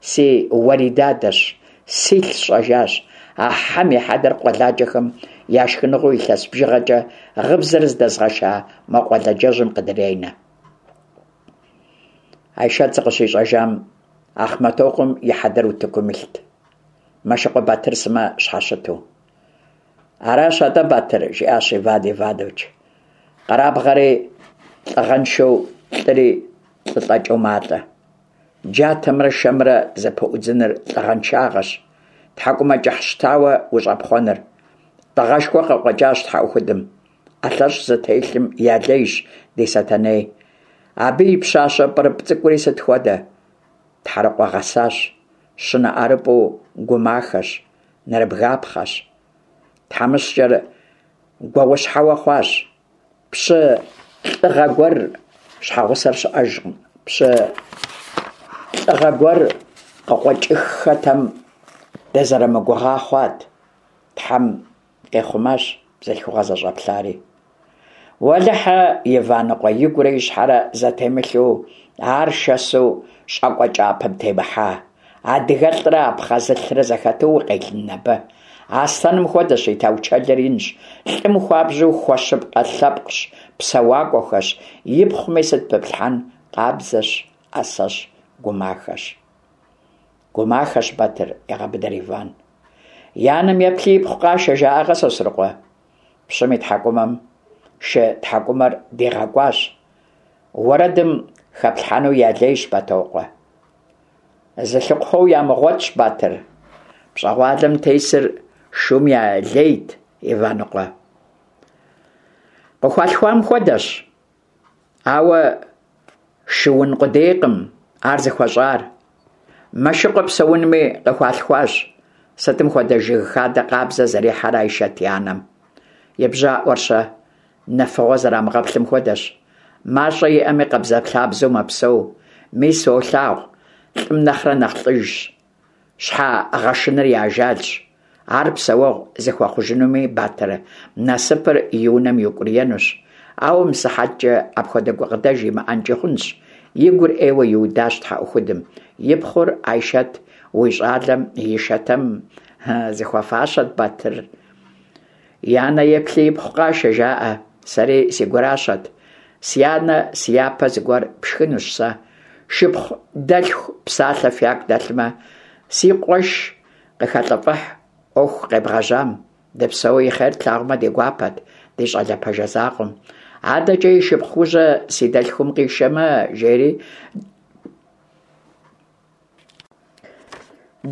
Си уэридадэщ, силъ сщӀэжащ. А хьэм и хьэдэр къуэладжэхэм я шхыныгъуэу илъэс бжыгъэкӀэ гъыбзэр здэзгъэша мо къуэладжэжьым къыдренэ. Айшэт зыкъыщищӀэжам Ахъмэтокъуэм и хьэдэр утыкум илът, Мэшыкъуэ Батыр сымэ щхьэщыту. Аращ атӀэ, Батыр, жиӀащ Иван Иванович. Къэрабгъэри лӀыгъэншэу, лӀыри лӀы лӀэкӀэу малӀэ. Джатэмрэ шэмрэ зэпыӀудзыныр лӀыгъэншагъэщ, тхьэкӀумэкӀыхь щтауэ ущӀэпхъуэныр. ЛӀыгъэшхуэ къыкъуэкӀащ тхьэӀухудым. ӀэлъэщӀ зытелъым я лейщ ди Сэтэней. Абы и пщащэ пӀырыпӀ цӀыкӀури сыт хуэдэ? Тхьэрыкъуэ гъэсащ, щынэ ӀэрыпӀу гумахэщ, нэрыбгапхъэщ. ТхьэмыщкӀэр гуауэщхьэуэ хъуащ. Пщы лӀыгъэ гуэр щхьэгъусэр щыӀэжкъым. Пщы лӀыгъэ гуэр къыкъуэкӀыххэтэм, дызэрымыгугъа хъуат. Тхьэм къихъумащ бзылъхугъэ зэщӀэплъари. Уэлэхьэ, Иваныкъуэ игурэ и щхьэрэ зэтемылъу, ар шэсу щӀакӀуэ кӀапэм темыхьа. АдыгэлӀрэ абхъазылӀрэ зэхэту укъелын абы? Аслъэным хуэдэщ, и таучэлыр инщ, лӀым хуабжьу хуэщыпкъэ лъэпкъщ, псэуакӀуэхэщ, ипхъуми сыт пыплъхьэн, къабзэщ, Ӏэсэщ, гумахэщ. Гумахэщ, Батыр, егъэбыдэр Иван. И анэм еплъи ипхъу къашэ, жаӀакъэ, Сосрыкъуэ? Пщым и тхьэкӀумэм шы тхьэкӀумэр дигъэкӀуащ. Уэрэдым хэплъхьэну ялейщ, Бэтокъуэ. Зылъыхъуэу ямыгъуэтщ, Батыр. ПщӀэгъуалэм тесыр шум я лейт, Иваныкъуэ. Къыхуалъхуам хуэдэщ, ауэ шыун къудейкъым ар зыхуэщӀар. Мэшыкъуэ псэунми къыхуалъхуащ. Сытым хуэдэ жыг хадэ къабзэ зэрихьэрэ Айшэт и анэм. И бжьаӀуэр-щэ? Нэфыгъуэ зэрамыгъэплъым хуэдэщ. МащӀэ иӀэми къабзэлъабзэу мэпсэу. Мис уолъагъу, лӀым нэхърэ нэхъ лӀыжщ. Щхьэ гъэшыныр и ажалщ. Ар псэуэгъу зыхуэхъужынуми, Батыр, насыпыр и унэм иукӀуриенущ. Ауэ мысыхьэткӀэ апхуэдэ гукъыдэж имыӀэнкӀи хъунщ. И гур Ӏейуэ иудащ тхьэӀухудым. И пхъур Айшэт уи щӀалэм и шэтэм зыхуэфащэт, Батыр. И анэ еплъи ипхъу къашэ, жаӀэ. Сэри си гуращэт. Си анэ си япэ зыгуэр пшхынущ сэ. Шыпхъу дэлъху псалъэ фяку дэлъмэ, си къуэш къыхэлӀыфӀыхь Ӏуэху къебгъэжьам. Дыпсэу и хъер тлъагъумэ ди гуапэт ди щӀалэ пэжэ закъуэм. АдэкӀэ и шыпхъужьэ си дэлъхум къишэмэ, жери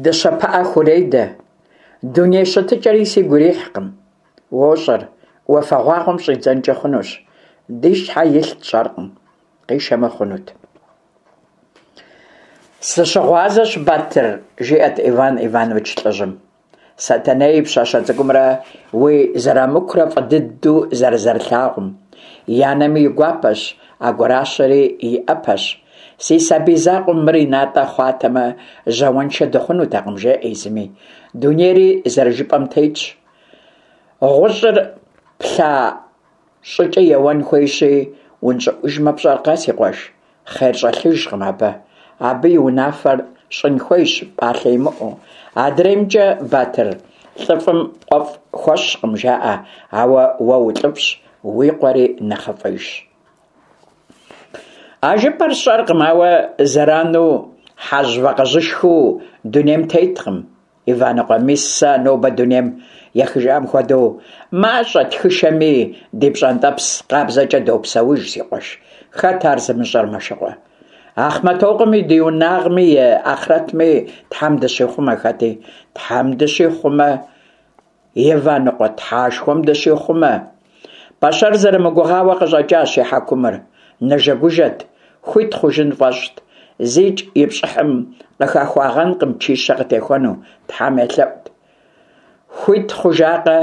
дыщэ пыӀэ хуредэ. Дуней щытыкӀэри сигу ирихькъым. УощӀэр, уафэгъуагъуэм щӀидзэнкӀи хъунущ. Ди щхьэ илъ тщӀэркъым. Къишэмэ хъунут. Сыщыгъуазэщ, Батыр, жиӀэрт Иван Иванович лӀыжьым. Сэтэней и пщащэ цӀыкӀумрэ уи Зырамыкурэ фӀы дыдэу зэрызэрылъагъум. И анэми и гуапэщ, а гуращэри и Ӏэпэщ. Си сабий закъуэм мыр и натӀэ хъуатэмэ, жьауэншэ дыхъунутэкъым, жеӀэ езыми. Дунейри зэрыжыпӀэм тетщ. ГъущӀыр плъа щӀыкӀэ еуэн хуейщи, унщӀыӀужмэ пщӀэркъэ, си къуэш, хъер щӀэлъыжкъым абы. Абы и унафэр щӀын хуейщ, пӀалъэ имыӀэу. АдреймкӀэ, Батыр, лӀыфӀым къуэфӀ хуэщкъым, жаӀэ, ауэ уэ улӀыфӀщ, уи къуэри нэхъыфӀыжщ. А жыпӀэр сщӀэркъым, ауэ зэрану хьэжь вакъэжьышхыу дунейм теткъым, Иваныкъуэ. Мис сэ нобэ дунейм ехыжам хуэдэу, мащӀэ тхышэми, ди пщӀэнтӀэпс къабзэкӀэ допсэуж, си къуэш. Хэт ар зымыщӀэр, Мэшыкъуэ? Ахъмэтокъуэм и дунагъми и ахърэтми Тхьэм дыщихъумэ хэти. Тхьэм дыщихъумэ, Иваныкъуэ, Тхьэшхуэм дыщихъумэ. Пэщэр зэрымыгугъауэ къыщӀэкӀащ и хьэкумыр. Нэжэгужэт, хуит хъужын фӀэщӀт. ЗикӀ и пщӀыхьым къыхэхуагъэнкъым чищэ къытехуэну, Тхьэм елъэӀут. Хуит хъужакъэ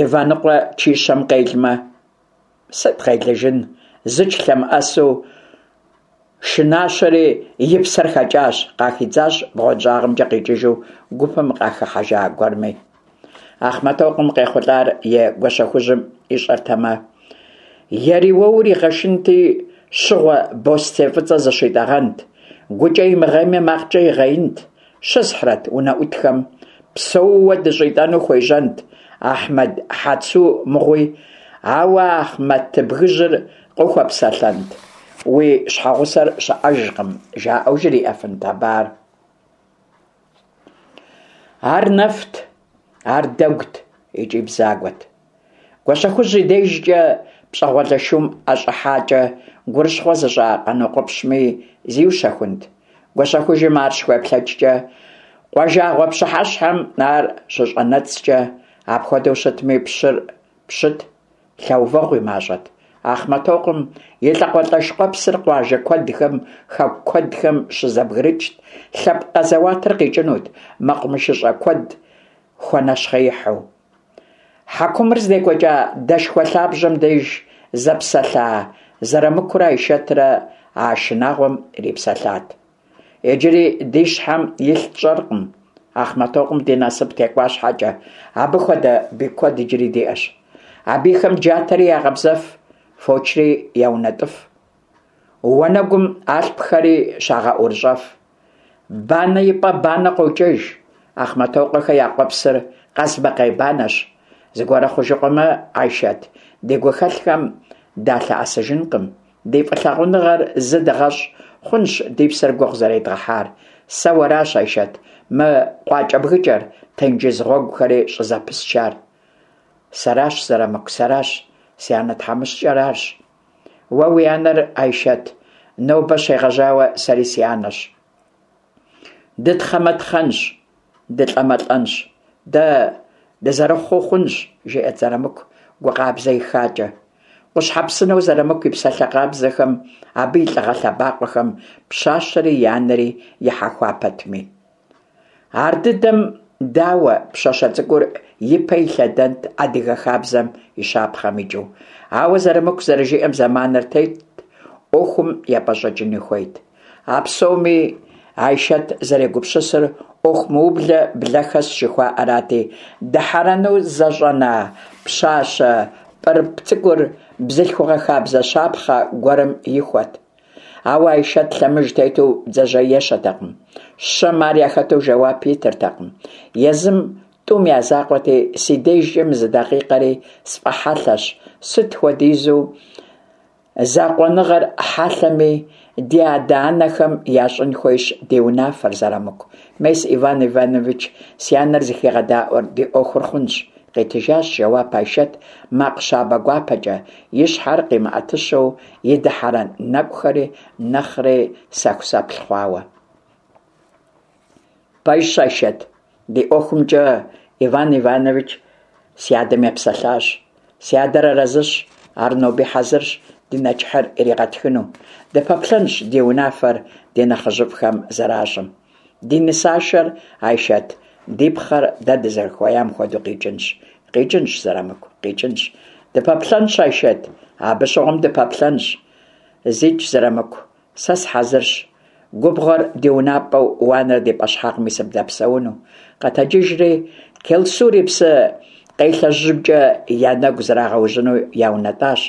Иваныкъуэ чищэм къелмэ? Сыт къелыжын, зыч лъэмыӀэсу шынащэри и псэр хэкӀащ, къахидзащ бгъуэнщӀагъымкӀэ къикӀыжу гупым къахыхьэжа гуэрми. Ахъмэтокъуэм къехъулӀар и Гуащэхужьым ищӀэртэмэ, ериуэур игъэшынти, щыгъуэ бостей фӀыцӀэ зыщитӀэгъэнт, гукӀэ имыгъейми макъкӀэ игъеинт, щысхьрэт унэӀутхэм, псэууэ дыщӀитӀэну хуежьэнт Ахьмэд Хьэцу мыгъуи, ауэ Ахъмэтыбгыжьыр къыхуэпсэлъэнт, уи щхьэгъусэр щыӀэжкъым, жаӀэу жриӀэфынт абы ар. Ар нэфт, ар дэгут икӀи бзагуэт. Гуащэхужь и дежкӀэ пщӀэгъуалэ шум ӀэщӀыхьакӀэ гурыщхъуэ зыщӀа Къанокъуэпщми зиущэхунт. Гуащэхужьым ар щыхуеплъэкӀкӀэ, къуажагъуэ пщыхьэщхьэм ар щыщӀэнэцӀкӀэ, апхуэдэу щытми, пщыр пщыт, лъэувэгъу и мащӀэт. Ахъмэтокъуэм и лӀакъуэлӀэш къуэпсыр къуажэ куэдхэм, хэку куэдхэм щызэбгрыкӀт, лъэпкъ къэзэуатыр къикӀынут, мэкъумэшыщӀэ куэд хуэнэщхъеихьу. Хьэкумыр здекӀуэкӀа дэшхуэ лъабжьэм деж зэпсэлъа Зэрамыкурэ Айшэтрэ а шынагъуэм ирипсэлъат. Иджыри ди щхьэм илъ тщӀэркъым. Ахъмэтокъуэм ди насып текӀуа щхьэкӀэ, абы хуэдэ бий куэд иджыри диӀэщ. А бийхэм джатэри ягъэбзэф, фочри яунэтӀыф, уанэгум алъпхэри щагъэӀурыщӀэф. Банэ и пӀэ банэ къокӀэж. Ахъмэтокъуэхэ я къуэпсыр къазмакъей банэщ. Зыгуэр хъужыкъуэмэ, Айшэт, ди гухэлъхэм далъэӀэсыжынкъым. Ди фӀылъагъуныгъэр зы дыгъэщӀ, хъунщ ди псэр гугъу зэредгъэхьар. Сэ уэращ, Айшэт, мы къуакӀэбгыкӀэр, тенджыз гъуэгухэри щӀызэпысчар. Сэращ, Зэрамыку, сэращ, си анэ тхьэмыщкӀэр арщ. Уэ уи анэр, Айшэт, нобэ щегъэжьауэ сэри си анэщ. Дытхъэмэ тхъэнщ, дылӀэмэ лӀэнщ. Дэ дызэрыхъуу хъунщ, жиӀэрт Зэрамыку гу къабзэ ихакӀэ. Къущхьэпсынэу Зэрамыку и псалъэ къабзэхэм, абы и лӀыгъэ лъэбакъуэхэм пщащэри и анэри ихьэхуа пэтми. Ардыдэм дауэ пщащэ цӀыкӀур ипэ илъэдэнт адыгэ хабзэм и щапхъэм икӀыу. Ауэ Зэрамыку зэрыжиӀэм зэманыр тетт, Ӏуэхум епӀэщӀэкӀыни хуейт. А псоми Айшэт зэрегупсысыр Ӏуэху мыублэ блэ хэс жыхуаӀэрати, дыхьэрэну зэщӀэна пщащэ пӀырыпӀ цӀыкӀур бзылъхугъэ хабзэ щапхъэ гуэрым ихуэт. Ауэ Айшэт лъэмыж тету бдзэжьей ещэтэкъым. Щэм ар яхэту жэуап итыртэкъым. Езым тӀум я закъуэти, си дежкӀэ мы зы дакъикъэри сфӀэхьэлъэщ, сыт хуэдизу закъуэныгъэр хьэлъэми, ди адэ-анэхэм ящӀын хуейщ ди унафэр, Зэрамыку. Мес Иван Иванович си анэр зыхигъэдаӀуэр ди Ӏуэхур хъунщ, къитыжащ жэуап Айшэт макъ щабэ гуапэкӀэ, и щхьэр къимыӀэтыщэу, и дыхьэрэн нэкӀухэри нэхъри сэхусэплъ хъуауэ. Пэжщ, Айшэт, ди ӀуэхумкӀэ Иван Иванович си адэм епсэлъащ. Си адэр арэзыщ, ар ноби хьэзырщ ди нэчыхьыр иригъэтхыну. Дыпэплъэнщ ди унафэр ди нэхъыжьыфӀхэм зэращӀым. Ди нысашэр, Айшэт, ди пхъэр дэ дызэрыхуеям хуэдэу къикӀынщ. КъикӀынщ, Зэрамыку, къикӀынщ. Дыпэплъэнщ, Айшэт, абы щыгъуэм дыпэплъэнщ. ЗикӀ, Зэрамыку, сэ сыхьэзырщ. Губгъуэр ди унапӀэу, уанэр ди пӀэщхьагъми сыбдэпсэуну. Къэтэджыжри, Келсур и псы къелъэжьымкӀэ я нэгу зрагъэужьыну яунэтӀащ.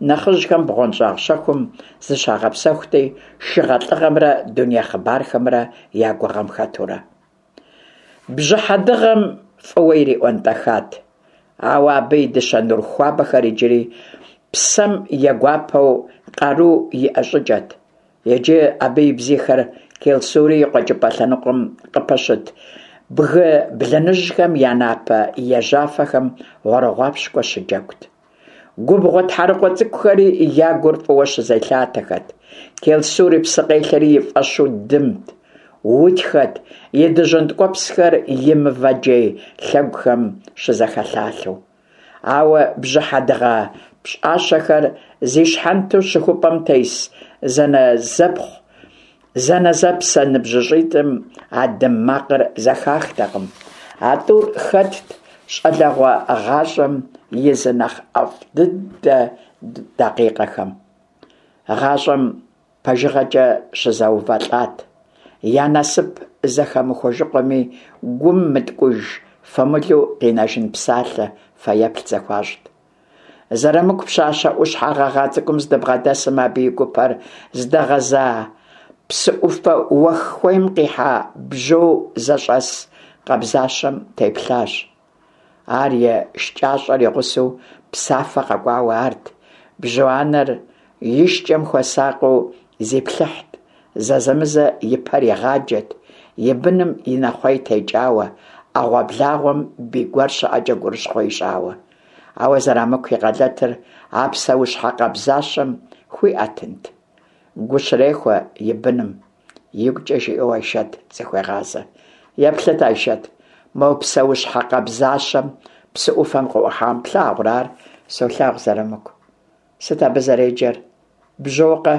Нэхъыжьхэм бгъуэнщӀагъ щэхум зыщагъэпсэхути, шыгъэлӀыгъэмрэ дуней хъыбархэмрэ я гугъэм хэтурэ. Бжьыхьэ дыгъэм фӀыуэ ириӀуэнтӀэхат. Ауэ абы и дыщэ нур хуабэхэр иджыри псэм егуапэу къару иӀэ щӀыкӀэт. Иджы абы и бзийхэр Келсури и къуэкӀыпӀэ лъэныкъуэм къыпэщыт бгы блыныжьхэм я напэ ежьафэхэм гъуэрыгъуапщкӀуэ щыджэгут. Губгъуэ тхьэрыкъуэ цӀыкӀухэри я гур фӀыуэ щызелъатэхэт. Келсур и псыкъелъэри и фӀэщу дымт, утхэт, и дыжьын ткӀуэпсхэр и мывэ джей лъэгухэм щызэхэлъалъэу. Ауэ бжьыхьэ дыгъэ пщӀащэхэр зи щхьэнтэу щыхупӀэм тес зэнэзэпхъу зэнэзэпсэ ныбжьыщӀитӀым а дым макъыр зэхахтэкъым. А тӀур хэтт щӀалэгъуэ гъащӀэм и зы нэхъ ӀэфӀ дыдэ дакъикъэхэм. ГъащӀэм пэжыгъэкӀэ щызэувэлӀат. Я насып зэхэмыхуэжыкъуэми, гум мыткӀуж фэмылу къинэжын псалъэ, фэеплъ зэхуащӀт. Зэрамыку пщащэ Ӏущхьэ гъэгъа цӀыкӀум здыбгъэдэсым, абы и гупэр здэгъэза псы Ӏуфэ уэх хуейм къихьа бжьо зэщӀэс къабзащэм теплъащ. Ар и шкӀащӀэр и гъусэу псафэ къэкӀуауэ арт. Бжьо анэр и шкӀэм хуэсакъыу зиплъыхьт, зэзэмызэ и пэр игъаджэт, и быным и нэхъуей текӀауэ, Ӏэгъуэблагъуэм бий гуэр щыӀэкӀэ гурыщхъуэ ищӀауэ. Ауэ Зэрамыку и къэлэтыр а псэущхьэ къабзащэм хуиӀэтынт. Гу щрехуэ и быным, игукӀэ жиӀэу Айшэт зыхуегъазэ. Еплъыт, Айшэт, мо псэущхьэ къабзащэм псы Ӏуфэм къыӀухьам плъагъурэ ар? Солъагъу, Зэрамыку. Сыт абы зэреджэр? Бжьокъэ?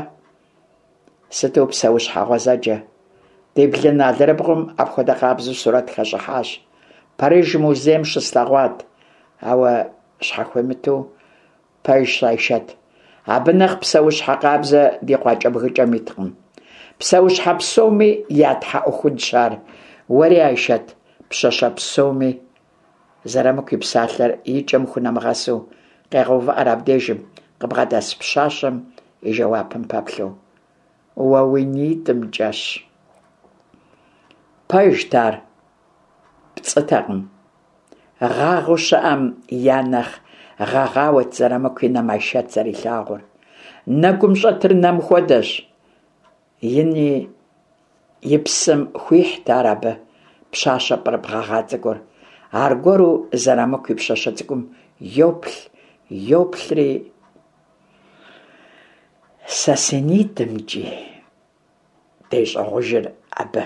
Сыту псэущхьэ гъуэзэджэ. Ди блын алэрыбгъум апхуэдэ къабзэу сурэт хэщӏыхьащ. Париж музейм щыслъэгъуат. Ауэ щхьэхуимыту пэжщ, Айшэт. Абы нэхъ псэущхьэ къабзэ ди къуакӏэбгыкӏэм иткъым. Псэущхьэ псоми я тхьэӏухудщ ар. Уэри, Айшэт, пщащэ псоми... Зырамыку и псалъэр и кӏэм хунэмыгъэсу къегъэувыӏэр абдежым, къыбгъэдэс пщащэм и жэуапым пэплъэу. Уэ уи нитӏымкӏэщ. Пэжт ар, пцӏытэкъым. Гъагъэу щыӏэм я нэхъ гъэгъауэт Зырамыку и нэм Айшэт зэрилъагъур. Нэгум щӏэтыр нэм хуэдэщ. И ни и псэм хуихьт ар абы, пщащэ пӏырыпӏ гъэгъа цӏыкӏур. Аргуэру Зырамыку и пщащэ цӏыкӏум йоплъ, йоплъри... Сэ си нитӏымкӏи, дещӏыгъужыр абы.